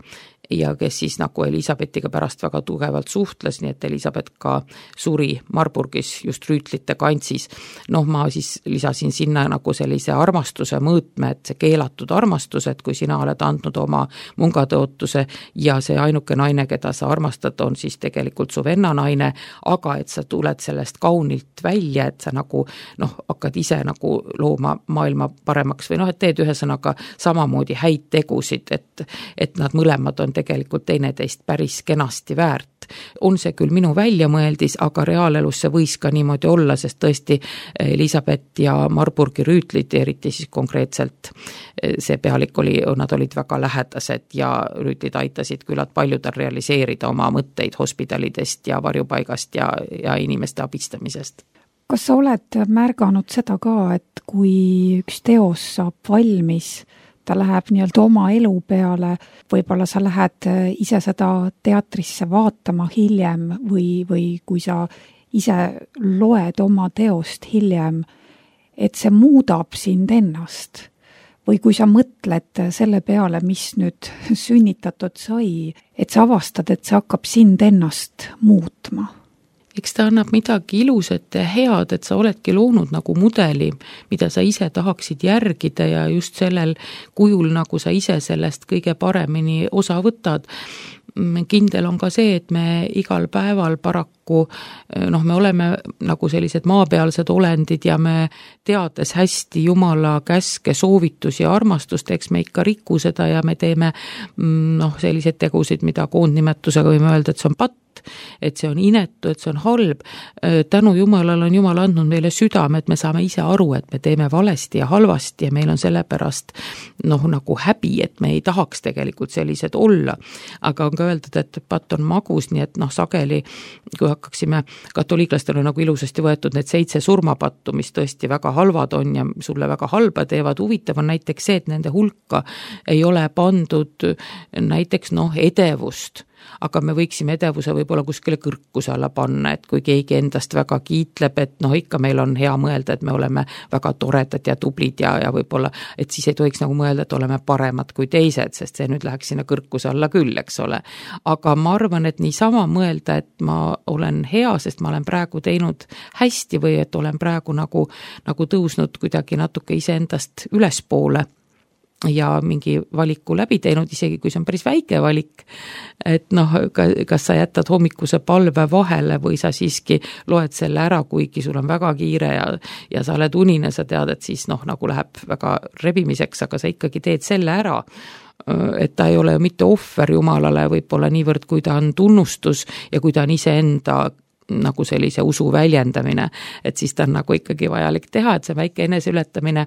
ja kes siis nagu Elisabethiga pärast väga tugevalt suhtles, nii et Elisabeth ka suri Marburgis just rüütlite kantsis. Ma siis lisasin sinna nagu sellise armastuse mõõtme, et see keelatud armastus, et kui sina oled andnud oma mungatõotuse ja see ainuke naine, keda sa armastad, on siis tegelikult su venna naine, aga et sa tuled sellest kaunilt välja, et sa nagu hakkad ise nagu looma maailma paremaks või et teed ühesõnaga samamoodi häid tegusid, et nad mõlemad on tegelikult teineteist päris kenasti väärt. On see küll minu väljamõeldis, aga reaalelus see võis ka niimoodi olla, sest tõesti Elisabeth ja Marburgi rüütlid, eriti siis konkreetselt see pealik nad olid väga lähedased ja rüütlid aitasid küllalt paljudel realiseerida oma mõtteid hospidalidest ja varjupaigast ja inimeste abistamisest. Kas sa oled märganud seda ka, et kui üks teos saab valmis, ta läheb nii-öelda oma elu peale, võib-olla sa lähed ise seda teatrisse vaatama hiljem või kui sa ise loed oma teost hiljem, et see muudab sind ennast? Või kui sa mõtled selle peale, mis nüüd sünnitatud sai, et sa avastad, et see hakkab sind ennast muutma? Eks ta annab midagi ilusat ja head, et sa oledki loonud nagu mudeli, mida sa ise tahaksid järgida ja just sellel kujul, nagu sa ise sellest kõige paremini osa võtad. Kindel on ka see, et me igal päeval paraku, me oleme nagu sellised maapealsed olendid ja me teades hästi Jumala käske, soovitusi ja armastust, eks me ikka riku seda ja me teeme selliseid tegusid, mida koondnimetusega võime öelda, et see on patt, et see on inetu, et see on halb. Tänu Jumalale on Jumal andnud meile südame, et me saame ise aru, et me teeme valesti ja halvasti ja meil on sellepärast nagu häbi, et me ei tahaks tegelikult sellised olla. Aga on ka öeldud, et patt on magus, nii et sageli, kui hakkaksime, katoliiklastel on nagu ilusasti võetud need 7 surmapattu, mis tõesti väga halvad on ja sulle väga halba teevad. Huvitav on näiteks see, et nende hulka ei ole pandud näiteks edevust, aga me võiksime edevuse võib-olla kuskile kõrkuse alla panna, et kui keegi endast väga kiitleb, et ikka meil on hea mõelda, et me oleme väga toredad ja tublid ja võib-olla, et siis ei tohiks nagu mõelda, et oleme paremad kui teised, sest see nüüd läheks sinna kõrkuse alla küll, eks ole. Aga ma arvan, et niisama mõelda, et ma olen hea, sest ma olen praegu teinud hästi või et olen praegu nagu tõusnud kuidagi natuke iseendast ülespoole ja mingi valiku läbi teinud, isegi kui see on päris väike valik, et noh, kas sa jätad hommikuse palve vahele või sa siiski loed selle ära, kuigi sul on väga kiire ja sa oled unine, sa tead, et siis noh, nagu läheb väga rebimiseks, aga sa ikkagi teed selle ära, et ta ei ole ju mitte ohver Jumalale võib-olla niivõrd, kui ta on tunnustus ja kui ta on iseenda nagu sellise usu väljendamine, et siis ta on nagu ikkagi vajalik teha, et see väike eneseületamine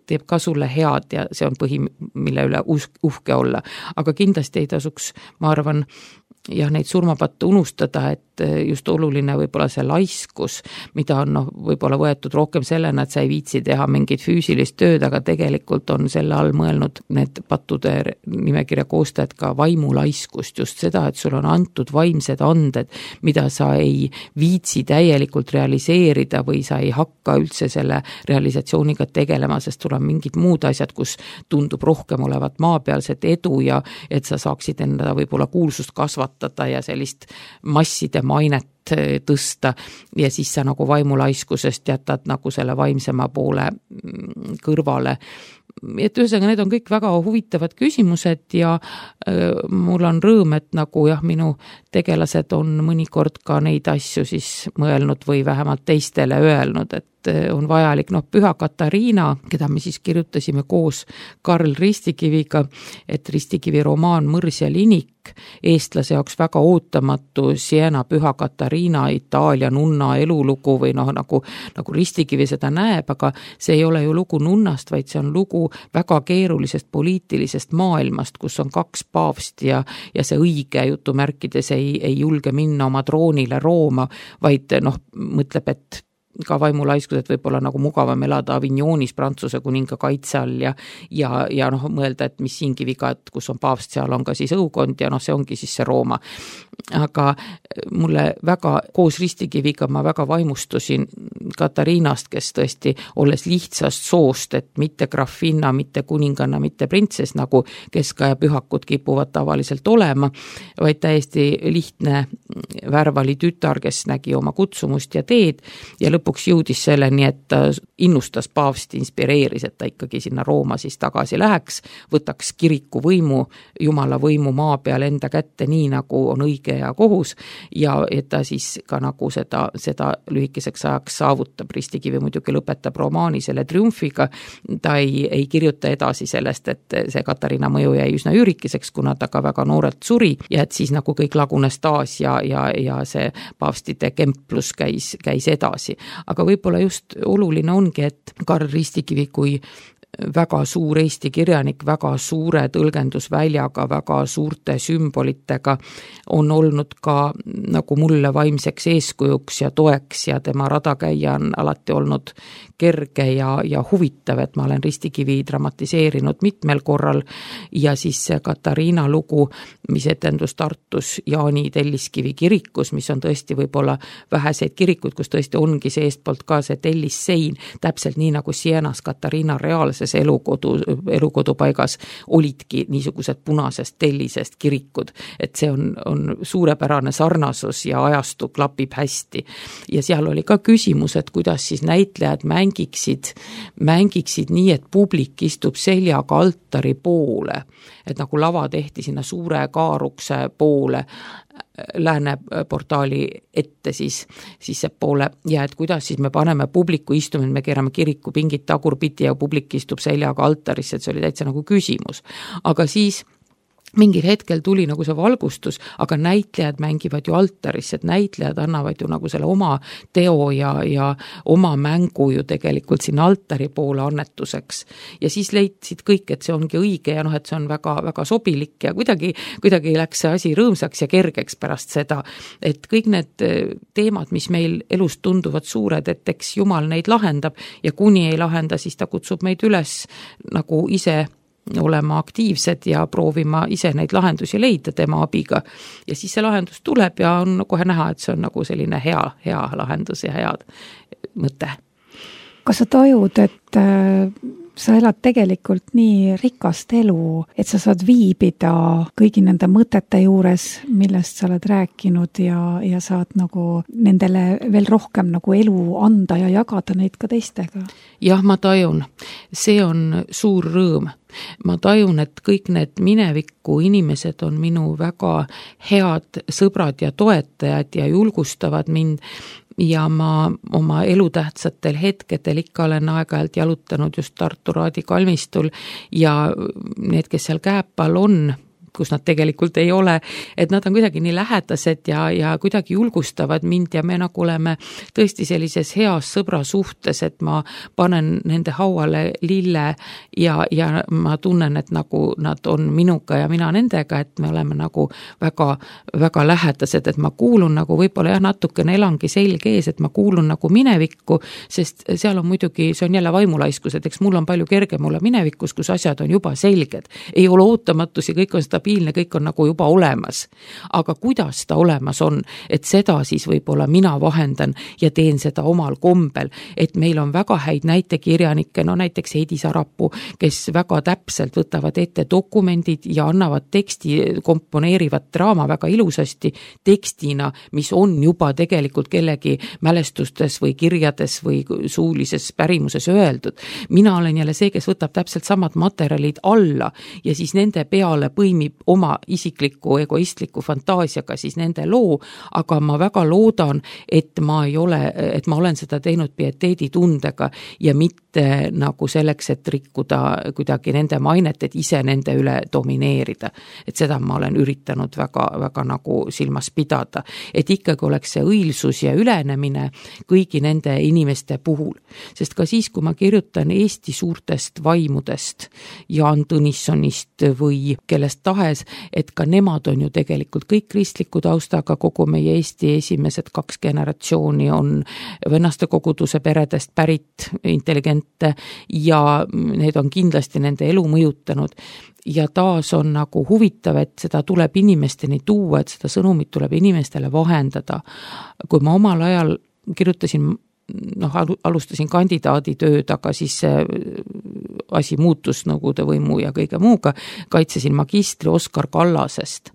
teeb ka sulle head ja see on põhi, mille üle uhke olla. Aga kindlasti ei tasuks, ma arvan, ja neid surmapatte unustada, et just oluline võib-olla see laiskus, mida on võib-olla võetud rohkem sellena, et sa ei viitsi teha mingit füüsilist tööd, aga tegelikult on selle all mõelnud need pattude nimekirja koostajad ka vaimulaiskust, just seda, et sul on antud vaimsed anded, mida sa ei viitsi täielikult realiseerida või sa ei hakka üldse selle realisatsiooniga tegelema, sest sul on mingid muud asjad, kus tundub rohkem olevat maapealset edu ja et sa saaksid enda võib-olla kuulsust kasvatada ja sellist masside mainet tõsta ja siis sa nagu vaimulaiskusest jätad nagu selle vaimsema poole kõrvale. Et ühesõnaga, need on kõik väga huvitavad küsimused ja mul on rõõm, et nagu jah, minu tegelased on mõnikord ka neid asju siis mõelnud või vähemalt teistele öelnud, et on vajalik, Püha Katariina, keda me siis kirjutasime koos Karl Ristikiviga, et Ristikivi romaan Mõrs ja linik, eestlase jaoks väga ootamatu Siena Püha Katariina Itaalia nunna elulugu või nagu Ristikivi seda näeb, aga see ei ole ju lugu nunnast, vaid see on lugu väga keerulisest poliitilisest maailmast, kus on 2 paavsti ja see õige jutumärkides ei julge minna oma troonile Rooma, vaid mõtleb, et ka vaimulaiskus, et võib-olla nagu mugavam elada Avignonis Prantsuse kuninga kaitse all ja mõelda, et mis siingi viga, et kus on paavst, seal on ka siis õukond ja see ongi siis see Rooma. Aga mulle väga, koos Ristikiviga ma väga vaimustusin Katariinast, kes tõesti, olles lihtsast soost, et mitte grafinna, mitte kuninganna, mitte printsess, nagu keskaja pühakud kipuvad tavaliselt olema, vaid täiesti lihtne värvali tütar, kes nägi oma kutsumust ja teed ja lõpuks jõudis selleni, et ta innustas paavsti, inspireeris, et ta ikkagi sinna Rooma siis tagasi läheks, võtaks kiriku võimu, Jumala võimu maa peal enda kätte, nii nagu on õige ja kohus ja et ta siis ka nagu seda lühikeseks ajaks saavutab. Ristikivi muidugi lõpetab romaani selle triumfiga, ta ei kirjuta edasi sellest, et see Katariina mõju jäi üsna üürikeseks, kuna ta ka väga noorelt suri ja et siis nagu kõik lagunes taas ja see paavstide kemplus käis edasi. Aga võib-olla just oluline ongi, et Karl Ristikivi kui väga suur eesti kirjanik, väga suure tõlgendusväljaga, väga suurte sümbolitega on olnud ka nagu mulle vaimseks eeskujuks ja toeks ja tema radakäija on alati olnud kerge ja huvitav, et ma olen Ristikivi dramatiseerinud mitmel korral ja siis see Katariina lugu, mis etendus Tartus Jaani Telliskivi kirikus, mis on tõesti võib-olla väheseid kirikuid, kus tõesti ongi see eestpoolt ka see tellissein, täpselt nii nagu Sienas Katariina reaalses elukodupaigas olidki niisugused punasest tellisest kirikud, et see on suurepärane sarnasus ja ajastu klapib hästi. Ja seal oli ka küsimus, et kuidas siis näitlejad mängiksid nii, et publik istub seljaga altari poole, et nagu lava tehti sinna suure kaarukse poole, lääne portaali ette siis see poole ja et kuidas siis me paneme publiku istuma, me keerame kiriku pingid tagurpidi ja publik istub seljaga altarisse, et see oli täitsa nagu küsimus. Aga siis mingil hetkel tuli nagu see valgustus, aga näitlejad mängivad ju altarisse, et näitlejad annavad ju nagu selle oma teo ja oma mängu ju tegelikult sinna altari poole annetuseks. Ja siis leidsid kõik, et see ongi õige ja et see on väga, väga sobilik ja kuidagi läks see asi rõõmsaks ja kergeks pärast seda, et kõik need teemad, mis meil elus tunduvad suured, et eks Jumal neid lahendab ja kuni ei lahenda, siis ta kutsub meid üles nagu ise olema aktiivsed ja proovima ise neid lahendusi leida tema abiga. Ja siis see lahendus tuleb ja on kohe näha, et see on nagu selline hea lahendus ja head mõte. Kas sa tajud, et sa elad tegelikult nii rikast elu, et sa saad viibida kõigi nende mõtete juures, millest sa oled rääkinud ja saad nagu nendele veel rohkem nagu elu anda ja jagada neid ka teistega. Jah, ma tajun. See on suur rõõm. Ma tajun, et kõik need mineviku inimesed on minu väga head sõbrad ja toetajad ja julgustavad mind ja ma oma elutähtsatel hetkedel ikka olen aeg-ajalt jalutanud just Tartu Raadi kalmistul ja need, kes seal Kääpal on, kus nad tegelikult ei ole, et nad on kuidagi nii lähedased ja kuidagi julgustavad mind ja me nagu oleme tõesti sellises heas sõbra suhtes, et ma panen nende hauale lille ja ma tunnen, et nagu nad on minuga ja mina nendega, et me oleme nagu väga, väga lähedased, et ma kuulun nagu võib-olla natukene elangi selge ees, et ma kuulun nagu minevikku, sest seal on muidugi, see on jälle vaimulaiskus, et eks mul on palju kergem olla minevikus, kus asjad on juba selged. Ei ole ootamatusi, kõik on kõik on nagu juba olemas. Aga kuidas ta olemas on, et seda siis võib-olla mina vahendan ja teen seda omal kombel, et meil on väga häid näitekirjanikke, no näiteks Heidi Sarapuu, kes väga täpselt võtavad ette dokumendid ja annavad teksti, komponeerivad draama väga ilusasti tekstina, mis on juba tegelikult kellegi mälestustes või kirjades või suulises pärimuses öeldud. Mina olen jälle see, kes võtab täpselt samad materjalid alla ja siis nende peale põimib oma isikliku egoistliku fantaasiaga siis nende loo, aga ma väga loodan, et ma olen seda teinud pieteeditundega ja mitte nagu selleks, et rikkuda kuidagi nende mainet, et ise nende üle domineerida. Et seda ma olen üritanud väga, väga nagu silmas pidada, et ikkagi oleks see õilsus ja ülenemine kõigi nende inimeste puhul. Sest ka siis, kui ma kirjutan Eesti suurtest vaimudest, Jaan Tõnissonist või kellest tahes, et ka nemad on ju tegelikult kõik kristliku taustaga, kogu meie Eesti esimesed 2 generatsiooni on vennaste koguduse peredest pärit intelligente ja need on kindlasti nende elu mõjutanud. Ja taas on nagu huvitav, et seda tuleb inimesteni tuua, et seda sõnumit tuleb inimestele vahendada. Kui ma omal ajal kirjutasin alustasin kandidaaditööd, aga siis see asi muutus Nõukogude võimu ja kõige muuga, kaitsesin magistri Oskar Kallasest.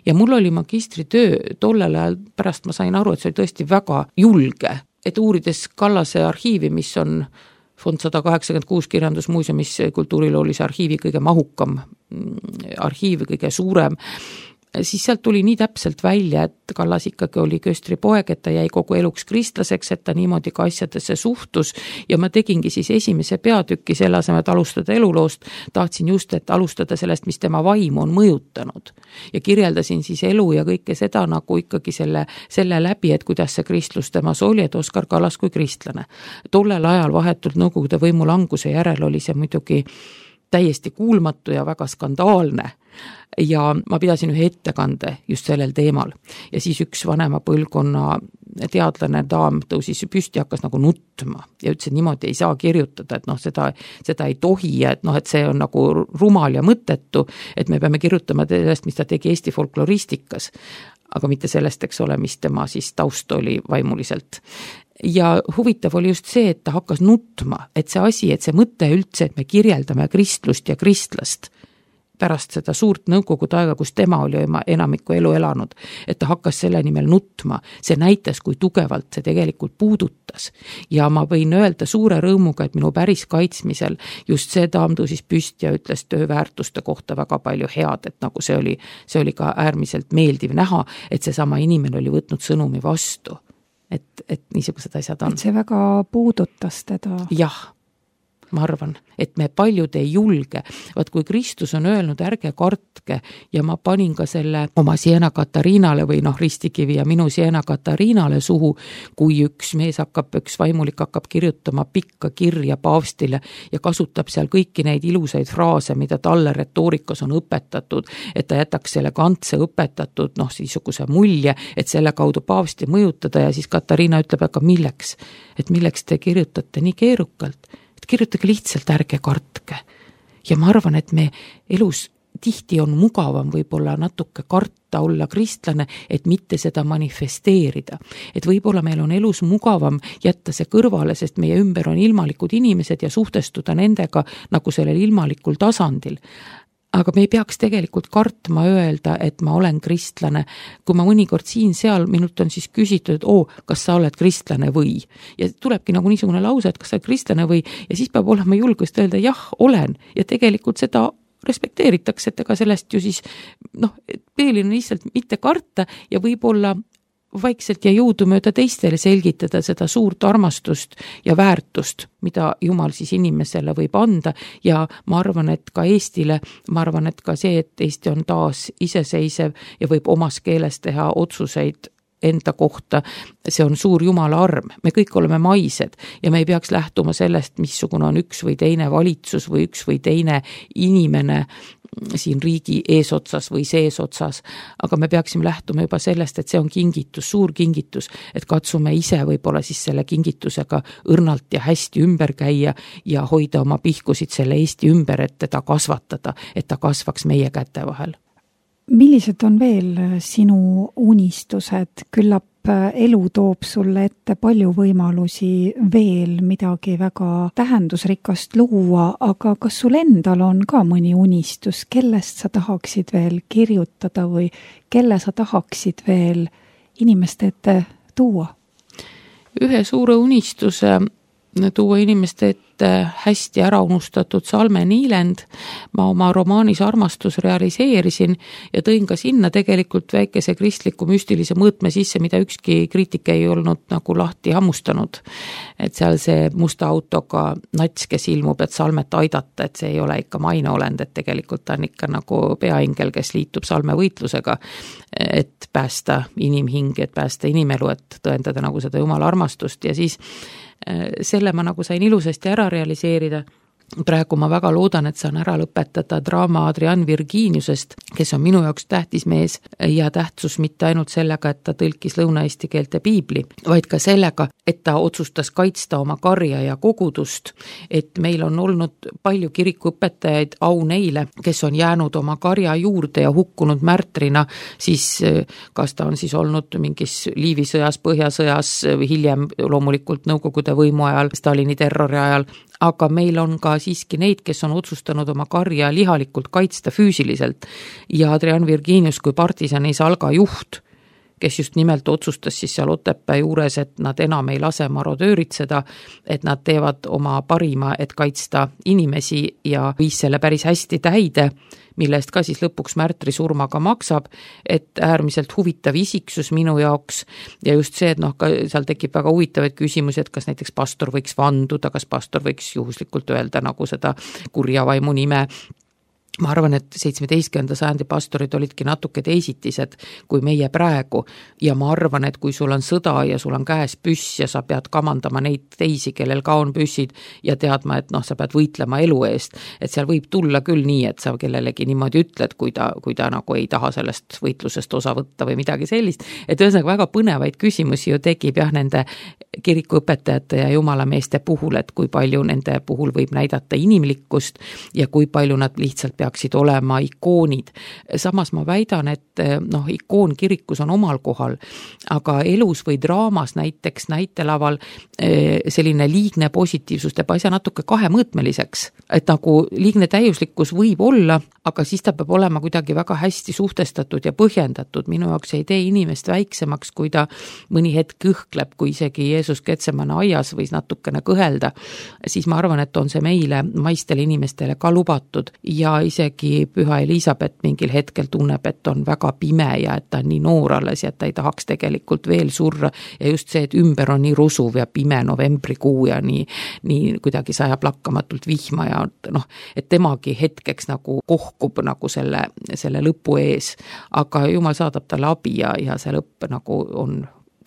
Ja mul oli magistritöö tollel ajal, pärast ma sain aru, et see oli tõesti väga julge, et uurides Kallase arhiivi, mis on Fond 186 kirjandusmuuseumis kultuuriloolise arhiivi kõige mahukam arhiiv, kõige suurem, siis sealt tuli nii täpselt välja, et Kallas ikkagi oli köstri poeg, et ta jäi kogu eluks kristlaseks, et ta niimoodi ka asjadesse suhtus ja ma tegingi siis esimese peatüki selle asemel, et alustada eluloost, tahtsin just, et alustada sellest, mis tema vaimu on mõjutanud ja kirjeldasin siis elu ja kõike seda nagu ikkagi selle läbi, et kuidas see kristlus temas oli, et Oskar Kallas kui kristlane. Tollel ajal vahetult Nõukogude võimu languse järel oli see muidugi täiesti kuulmatu ja väga skandaalne. Ja ma pidasin ühe ettekande just sellel teemal ja siis üks vanema põlvkonna teadlane daam tõusis püsti ja hakkas nagu nutma ja ütles, et niimoodi ei saa kirjutada, et seda ei tohi ja et see on nagu rumal ja mõttetu, et me peame kirjutama sellest, mis ta tegi Eesti folkloristikas, aga mitte sellest, eks ole, mis tema siis taust oli vaimuliselt. Ja huvitav oli just see, et ta hakkas nutma, et see mõte üldse, et me kirjeldame kristlust ja kristlast pärast seda suurt nõukogude aega, kus tema oli enamiku elu elanud, et ta hakkas selle nimel nutma. See näitas, kui tugevalt see tegelikult puudutas. Ja ma võin öelda suure rõõmuga, et minu päris kaitsmisel just see daam tõusis püsti ja ütles tööväärtuste kohta väga palju head, et nagu see oli ka äärmiselt meeldiv näha, et see sama inimene oli võtnud sõnumi vastu. Et niisugused asjad on. Et see väga puudutas teda. Jah. Ma arvan, et me paljud ei julge. Vaat kui Kristus on öelnud, ärge kartke ja ma panin ka selle oma Siena Katariinale või ristikivi ja minu Siena Katariinale suhu, kui üks vaimulik hakkab kirjutama pikka kirja paavstile ja kasutab seal kõiki neid ilusaid fraase, mida talle retoorikas on õpetatud, et ta jätaks selle kantse õpetatud niisuguse mulje, et selle kaudu paavsti mõjutada ja siis Katariina ütleb, aga milleks? Et milleks te kirjutate nii keerukalt? Kirjutage lihtsalt, ärge kartke. Ja ma arvan, et me elus tihti on mugavam võib-olla natuke karta olla kristlane, et mitte seda manifesteerida. Et võib-olla meil on elus mugavam jätta see kõrvale, sest meie ümber on ilmalikud inimesed ja suhtestuda nendega nagu sellel ilmalikul tasandil. Aga me ei peaks tegelikult kartma öelda, et ma olen kristlane. Kui ma mõnikord siin-seal, minult on siis küsitud, et kas sa oled kristlane või? Ja tulebki nagu niisugune lause, et kas sa oled kristlane või? Ja siis peab olema julgust öelda, jah, olen. Ja tegelikult seda respekteeritakse, et ega sellest ju siis, peelin lihtsalt mitte karta ja võib-olla vaikselt ja jõudu mööda teistele selgitada seda suurt armastust ja väärtust, mida Jumal siis inimesele võib anda ja ma arvan, et ka Eestile, ma arvan, et ka see, et Eesti on taas iseseisev ja võib omas keeles teha otsuseid enda kohta, see on suur Jumala arm. Me kõik oleme maised ja me ei peaks lähtuma sellest, missugune on üks või teine valitsus või üks või teine inimene siin riigi eesotsas või seesotsas, aga me peaksime lähtuma juba sellest, et see on kingitus, suur kingitus, et katsume ise võib-olla siis selle kingitusega õrnalt ja hästi ümber käia ja hoida oma pihkusid selle Eesti ümber, et teda kasvatada, et ta kasvaks meie käte vahel. Millised on veel sinu unistused? Küllap elu toob sulle ette palju võimalusi veel midagi väga tähendusrikast luua, aga kas sul endal on ka mõni unistus, kellest sa tahaksid veel kirjutada või kelle sa tahaksid veel inimeste ette tuua? Ühe suure unistuse tuua inimeste ette hästi ära unustatud Salme Niilend. Ma oma romaanis Armastus realiseerisin ja tõin ka sinna tegelikult väikese kristliku müstilise mõõtme sisse, mida ükski kriitik ei olnud nagu lahti hammustanud. Et seal see musta autoga nats, kes ilmub, et Salmet aidata, et see ei ole ikka maineolend, et tegelikult ta on ikka nagu peaingel, kes liitub Salme võitlusega, et päästa inimhing, et päästa inimelu, et tõendada nagu seda Jumala armastust ja siis selle ma nagu sain ilusasti ära realiseerida. Praegu ma väga loodan, et saan ära lõpetada draama Adrian Virginiusest, kes on minu jaoks tähtis mees ja tähtsus mitte ainult sellega, et ta tõlkis lõuna-eesti keelte piibli, vaid ka sellega, et ta otsustas kaitsta oma karja ja kogudust, et meil on olnud palju kirikuõpetajaid, au neile, kes on jäänud oma karja juurde ja hukkunud märtrina, siis kas ta on siis olnud mingis Liivi sõjas, Põhjasõjas, hiljem loomulikult Nõukogude võimu ajal, Stalini terrori ajal, aga meil on ka siiski neid, kes on otsustanud oma karja lihalikult kaitsta füüsiliselt ja Adrian Virginius kui partisani Salga juht, kes just nimelt otsustas siis seal Otepää juures, et nad enam ei lase marodööritseda, et nad teevad oma parima, et kaitsta inimesi ja viis selle päris hästi täide, millest ka siis lõpuks märtri surmaga maksab, et äärmiselt huvitav isiksus minu jaoks ja just see, et ka seal tekib väga huvitavaid küsimusi, et kas näiteks pastor võiks vanduda, kas pastor võiks juhuslikult öelda nagu seda kurja vaimu nime. Ma arvan, et 17. sajandi pastorid olidki natuke teisitised kui meie praegu ja ma arvan, et kui sul on sõda ja sul on käes püss ja sa pead kamandama neid teisi, kellel ka on püssid ja teadma, et sa pead võitlema elu eest, et seal võib tulla küll nii, et sa kellelegi niimoodi ütled, kui ta nagu ei taha sellest võitlusest osa võtta või midagi sellist, et ühesõnaga väga põnevaid küsimusi ju tekib jah nende kirikuõpetajate ja jumalameeste puhul, et kui palju nende puhul võib näidata inimlikkust ja kui palju nad lihtsalt peaksid olema ikoonid. Samas ma väidan, et ikoon kirikus on omal kohal, aga elus või draamas näiteks näitelaval selline liigne positiivsus teeb asja natuke kahemõõtmeliseks, et nagu liigne täiuslikkus võib olla, aga siis ta peab olema kuidagi väga hästi suhtestatud ja põhjendatud. Minu jaoks ei tee inimest väiksemaks, kui ta mõni hetk kõhkleb, kui isegi Jeesus Getsemane aias võis natukene kõhelda, siis ma arvan, et on see meile, maistele inimestele ka lubatud ja isegi Püha Elisabeth mingil hetkel tunneb, et on väga pime ja et ta on nii noor alles ja et ta ei tahaks tegelikult veel surra ja just see, et ümber on nii rusuv ja pime novembrikuu ja nii kuidagi sajab lakkamatult vihma ja et temagi hetkeks nagu kohkub nagu selle lõpu ees, aga Jumal saadab talle abi ja see lõpp nagu on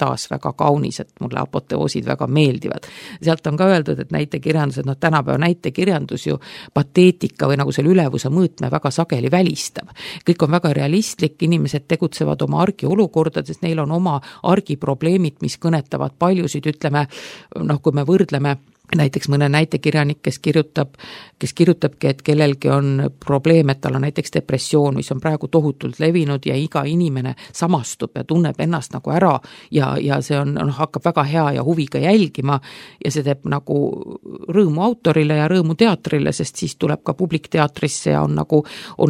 taas väga kaunis, et mulle apoteoosid väga meeldivad. Sealt on ka öeldud, et näitekirjandused, tänapäeva näitekirjandus ju pateetika või nagu selle ülevuse mõõtme väga sageli välistab. Kõik on väga realistlik, inimesed tegutsevad oma argiolukordades, neil on oma argiprobleemid, mis kõnetavad paljusid, ütleme, kui me võrdleme näiteks mõne näitekirjanik, kes kirjutabki, et kellelgi on probleem, et tal on näiteks depressioon, mis on praegu tohutult levinud ja iga inimene samastub ja tunneb ennast nagu ära ja see hakkab väga hea ja huviga jälgima ja see teeb nagu rõõmu autorile ja rõõmu teatrile, sest siis tuleb ka publik teatrisse ja on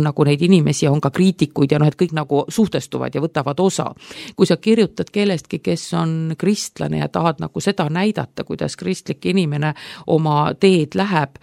nagu neid inimesi ja on ka kriitikuid ja et kõik nagu suhtestuvad ja võtavad osa. Kui sa kirjutad kellestki, kes on kristlane ja tahad nagu seda näidata, kuidas kristlik inimene oma teed läheb,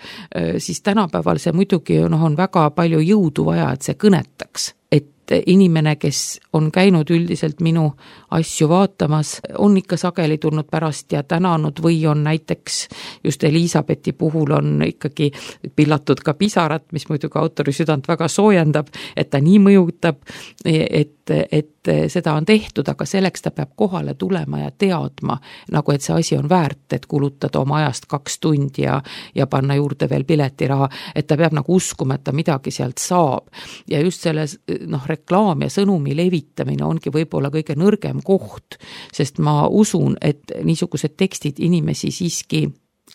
siis tänapäeval see muidugi on väga palju jõudu vaja, et see kõnetaks. Et inimene, kes on käinud üldiselt minu asju vaatamas, on ikka sageli tulnud pärast ja tänanud või on näiteks just Elisabethi puhul on ikkagi pillatud ka pisarat, mis muidugi autori südant väga soojendab, et ta nii mõjutab, et seda on tehtud, aga selleks ta peab kohale tulema ja teadma, nagu et see asi on väärt, et kulutada oma ajast 2 tundi ja panna juurde veel piletiraha, et ta peab nagu uskuma, et ta midagi sealt saab. Ja just selles reklaam ja sõnumi levitamine ongi võib-olla kõige nõrgem koht, sest ma usun, et niisugused tekstid inimesi siiski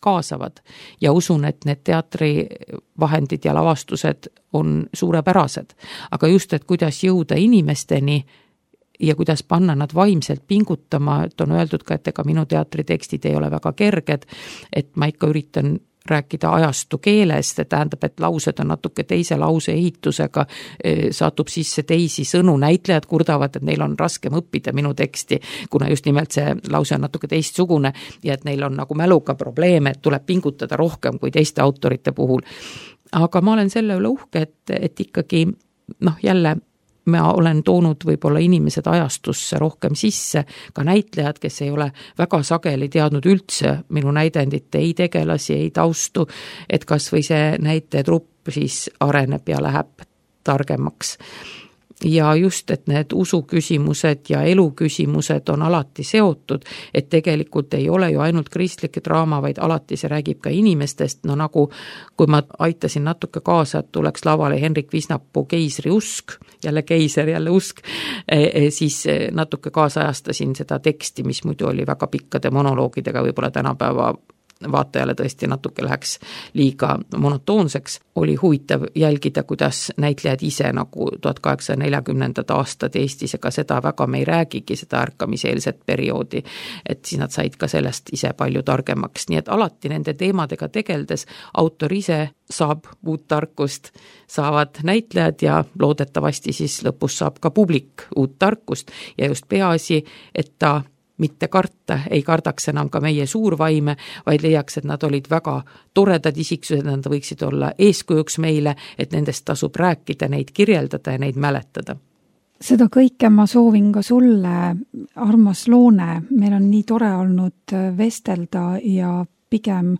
kaasavad ja usun, et need teatrivahendid ja lavastused on suurepärased. Aga just, et kuidas jõuda inimesteni ja kuidas panna nad vaimselt pingutama, et on öeldud ka, et ega minu teatritekstid ei ole väga kerged, et ma ikka üritan rääkida ajastu keeles, see tähendab, et laused on natuke teise lause ehitusega, satub sisse teisi sõnu, näitlejad kurdavad, et neil on raskem õppida minu teksti, kuna just nimelt see lause on natuke teistsugune ja et neil on nagu mäluga probleeme, et tuleb pingutada rohkem kui teiste autorite puhul. Aga ma olen selle üle uhke, et ikkagi jälle ma olen toonud võib-olla inimesed ajastusse rohkem sisse, ka näitlejad, kes ei ole väga sageli teadnud üldse minu näidendite ei tegelasi, ei taustu, et kas või see näitetrupp siis areneb ja läheb targemaks. Ja just, et need usuküsimused ja eluküsimused on alati seotud, et tegelikult ei ole ju ainult kristlik draama, vaid alati see räägib ka inimestest, nagu kui ma aitasin natuke kaasa, et tuleks lavale Henrik Visnapuu Keisri usk, jälle keiser, jälle usk, siis natuke kaasajastasin seda teksti, mis muidu oli väga pikkade monoloogidega, võib-olla tänapäeva vaatajale tõesti natuke läheks liiga monotoonseks, oli huvitav jälgida, kuidas näitlejad ise nagu 1840. aastad Eestis, ega seda väga me ei räägigi, seda ärkamiseelset perioodi, et siis nad said ka sellest ise palju targemaks, nii et alati nende teemadega tegeldes autor ise saab uut tarkust, saavad näitlejad ja loodetavasti siis lõpus saab ka publik uut tarkust ja just peaasi, et ta mitte karta, ei kardaks enam ka meie suurvaime, vaid leiaks, et nad olid väga toredad isiksused, nad võiksid olla eeskujuks meile, et nendest tasub rääkida, neid kirjeldada ja neid mäletada. Seda kõike ma soovin ka sulle, armas Loone, meil on nii tore olnud vestelda ja pigem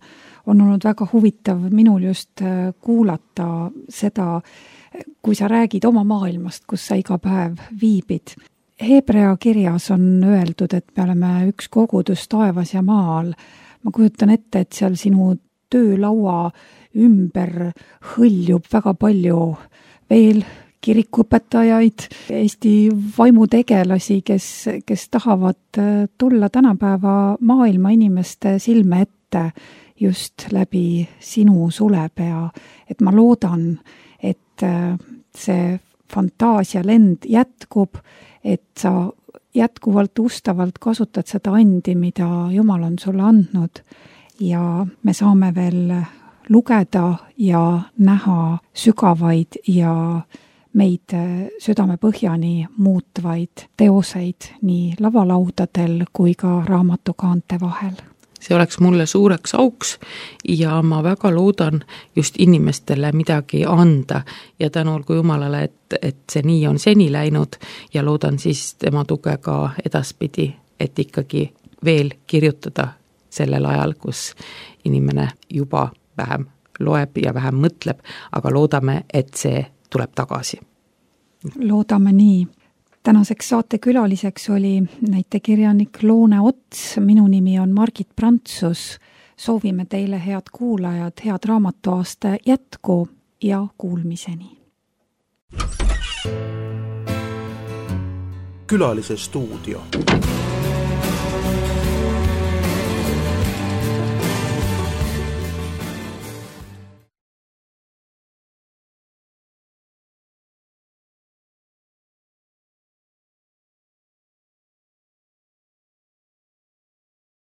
on olnud väga huvitav minul just kuulata seda, kui sa räägid oma maailmast, kus sa iga päev viibid. Hebrea kirjas on öeldud, et me oleme üks kogudus taevas ja maal. Ma kujutan ette, et seal sinu töölaua ümber hõljub väga palju veel kirikuõpetajaid, Eesti vaimutegelasi, kes tahavad tulla tänapäeva maailma inimeste silme ette just läbi sinu sulepea. Et ma loodan, et see fantaasialend jätkub, et sa jätkuvalt ustavalt kasutad seda andi, mida Jumal on sulle andnud ja me saame veel lugeda ja näha sügavaid ja meid südamepõhjani muutvaid teoseid nii lavalaudadel kui ka raamatukaante vahel. See oleks mulle suureks auks ja ma väga loodan just inimestele midagi anda ja tänu olgu Jumalale, et see nii on seni läinud ja loodan siis tema tuge ka edaspidi, et ikkagi veel kirjutada sellel ajal, kus inimene juba vähem loeb ja vähem mõtleb, aga loodame, et see tuleb tagasi. Loodame nii. Tänaseks saate külaliseks oli näitekirjanik Loone Ots, minu nimi on Margit Prantsus. Soovime teile head kuulajad, head raamatuaasta jätku ja kuulmiseni. Külalise stuudio.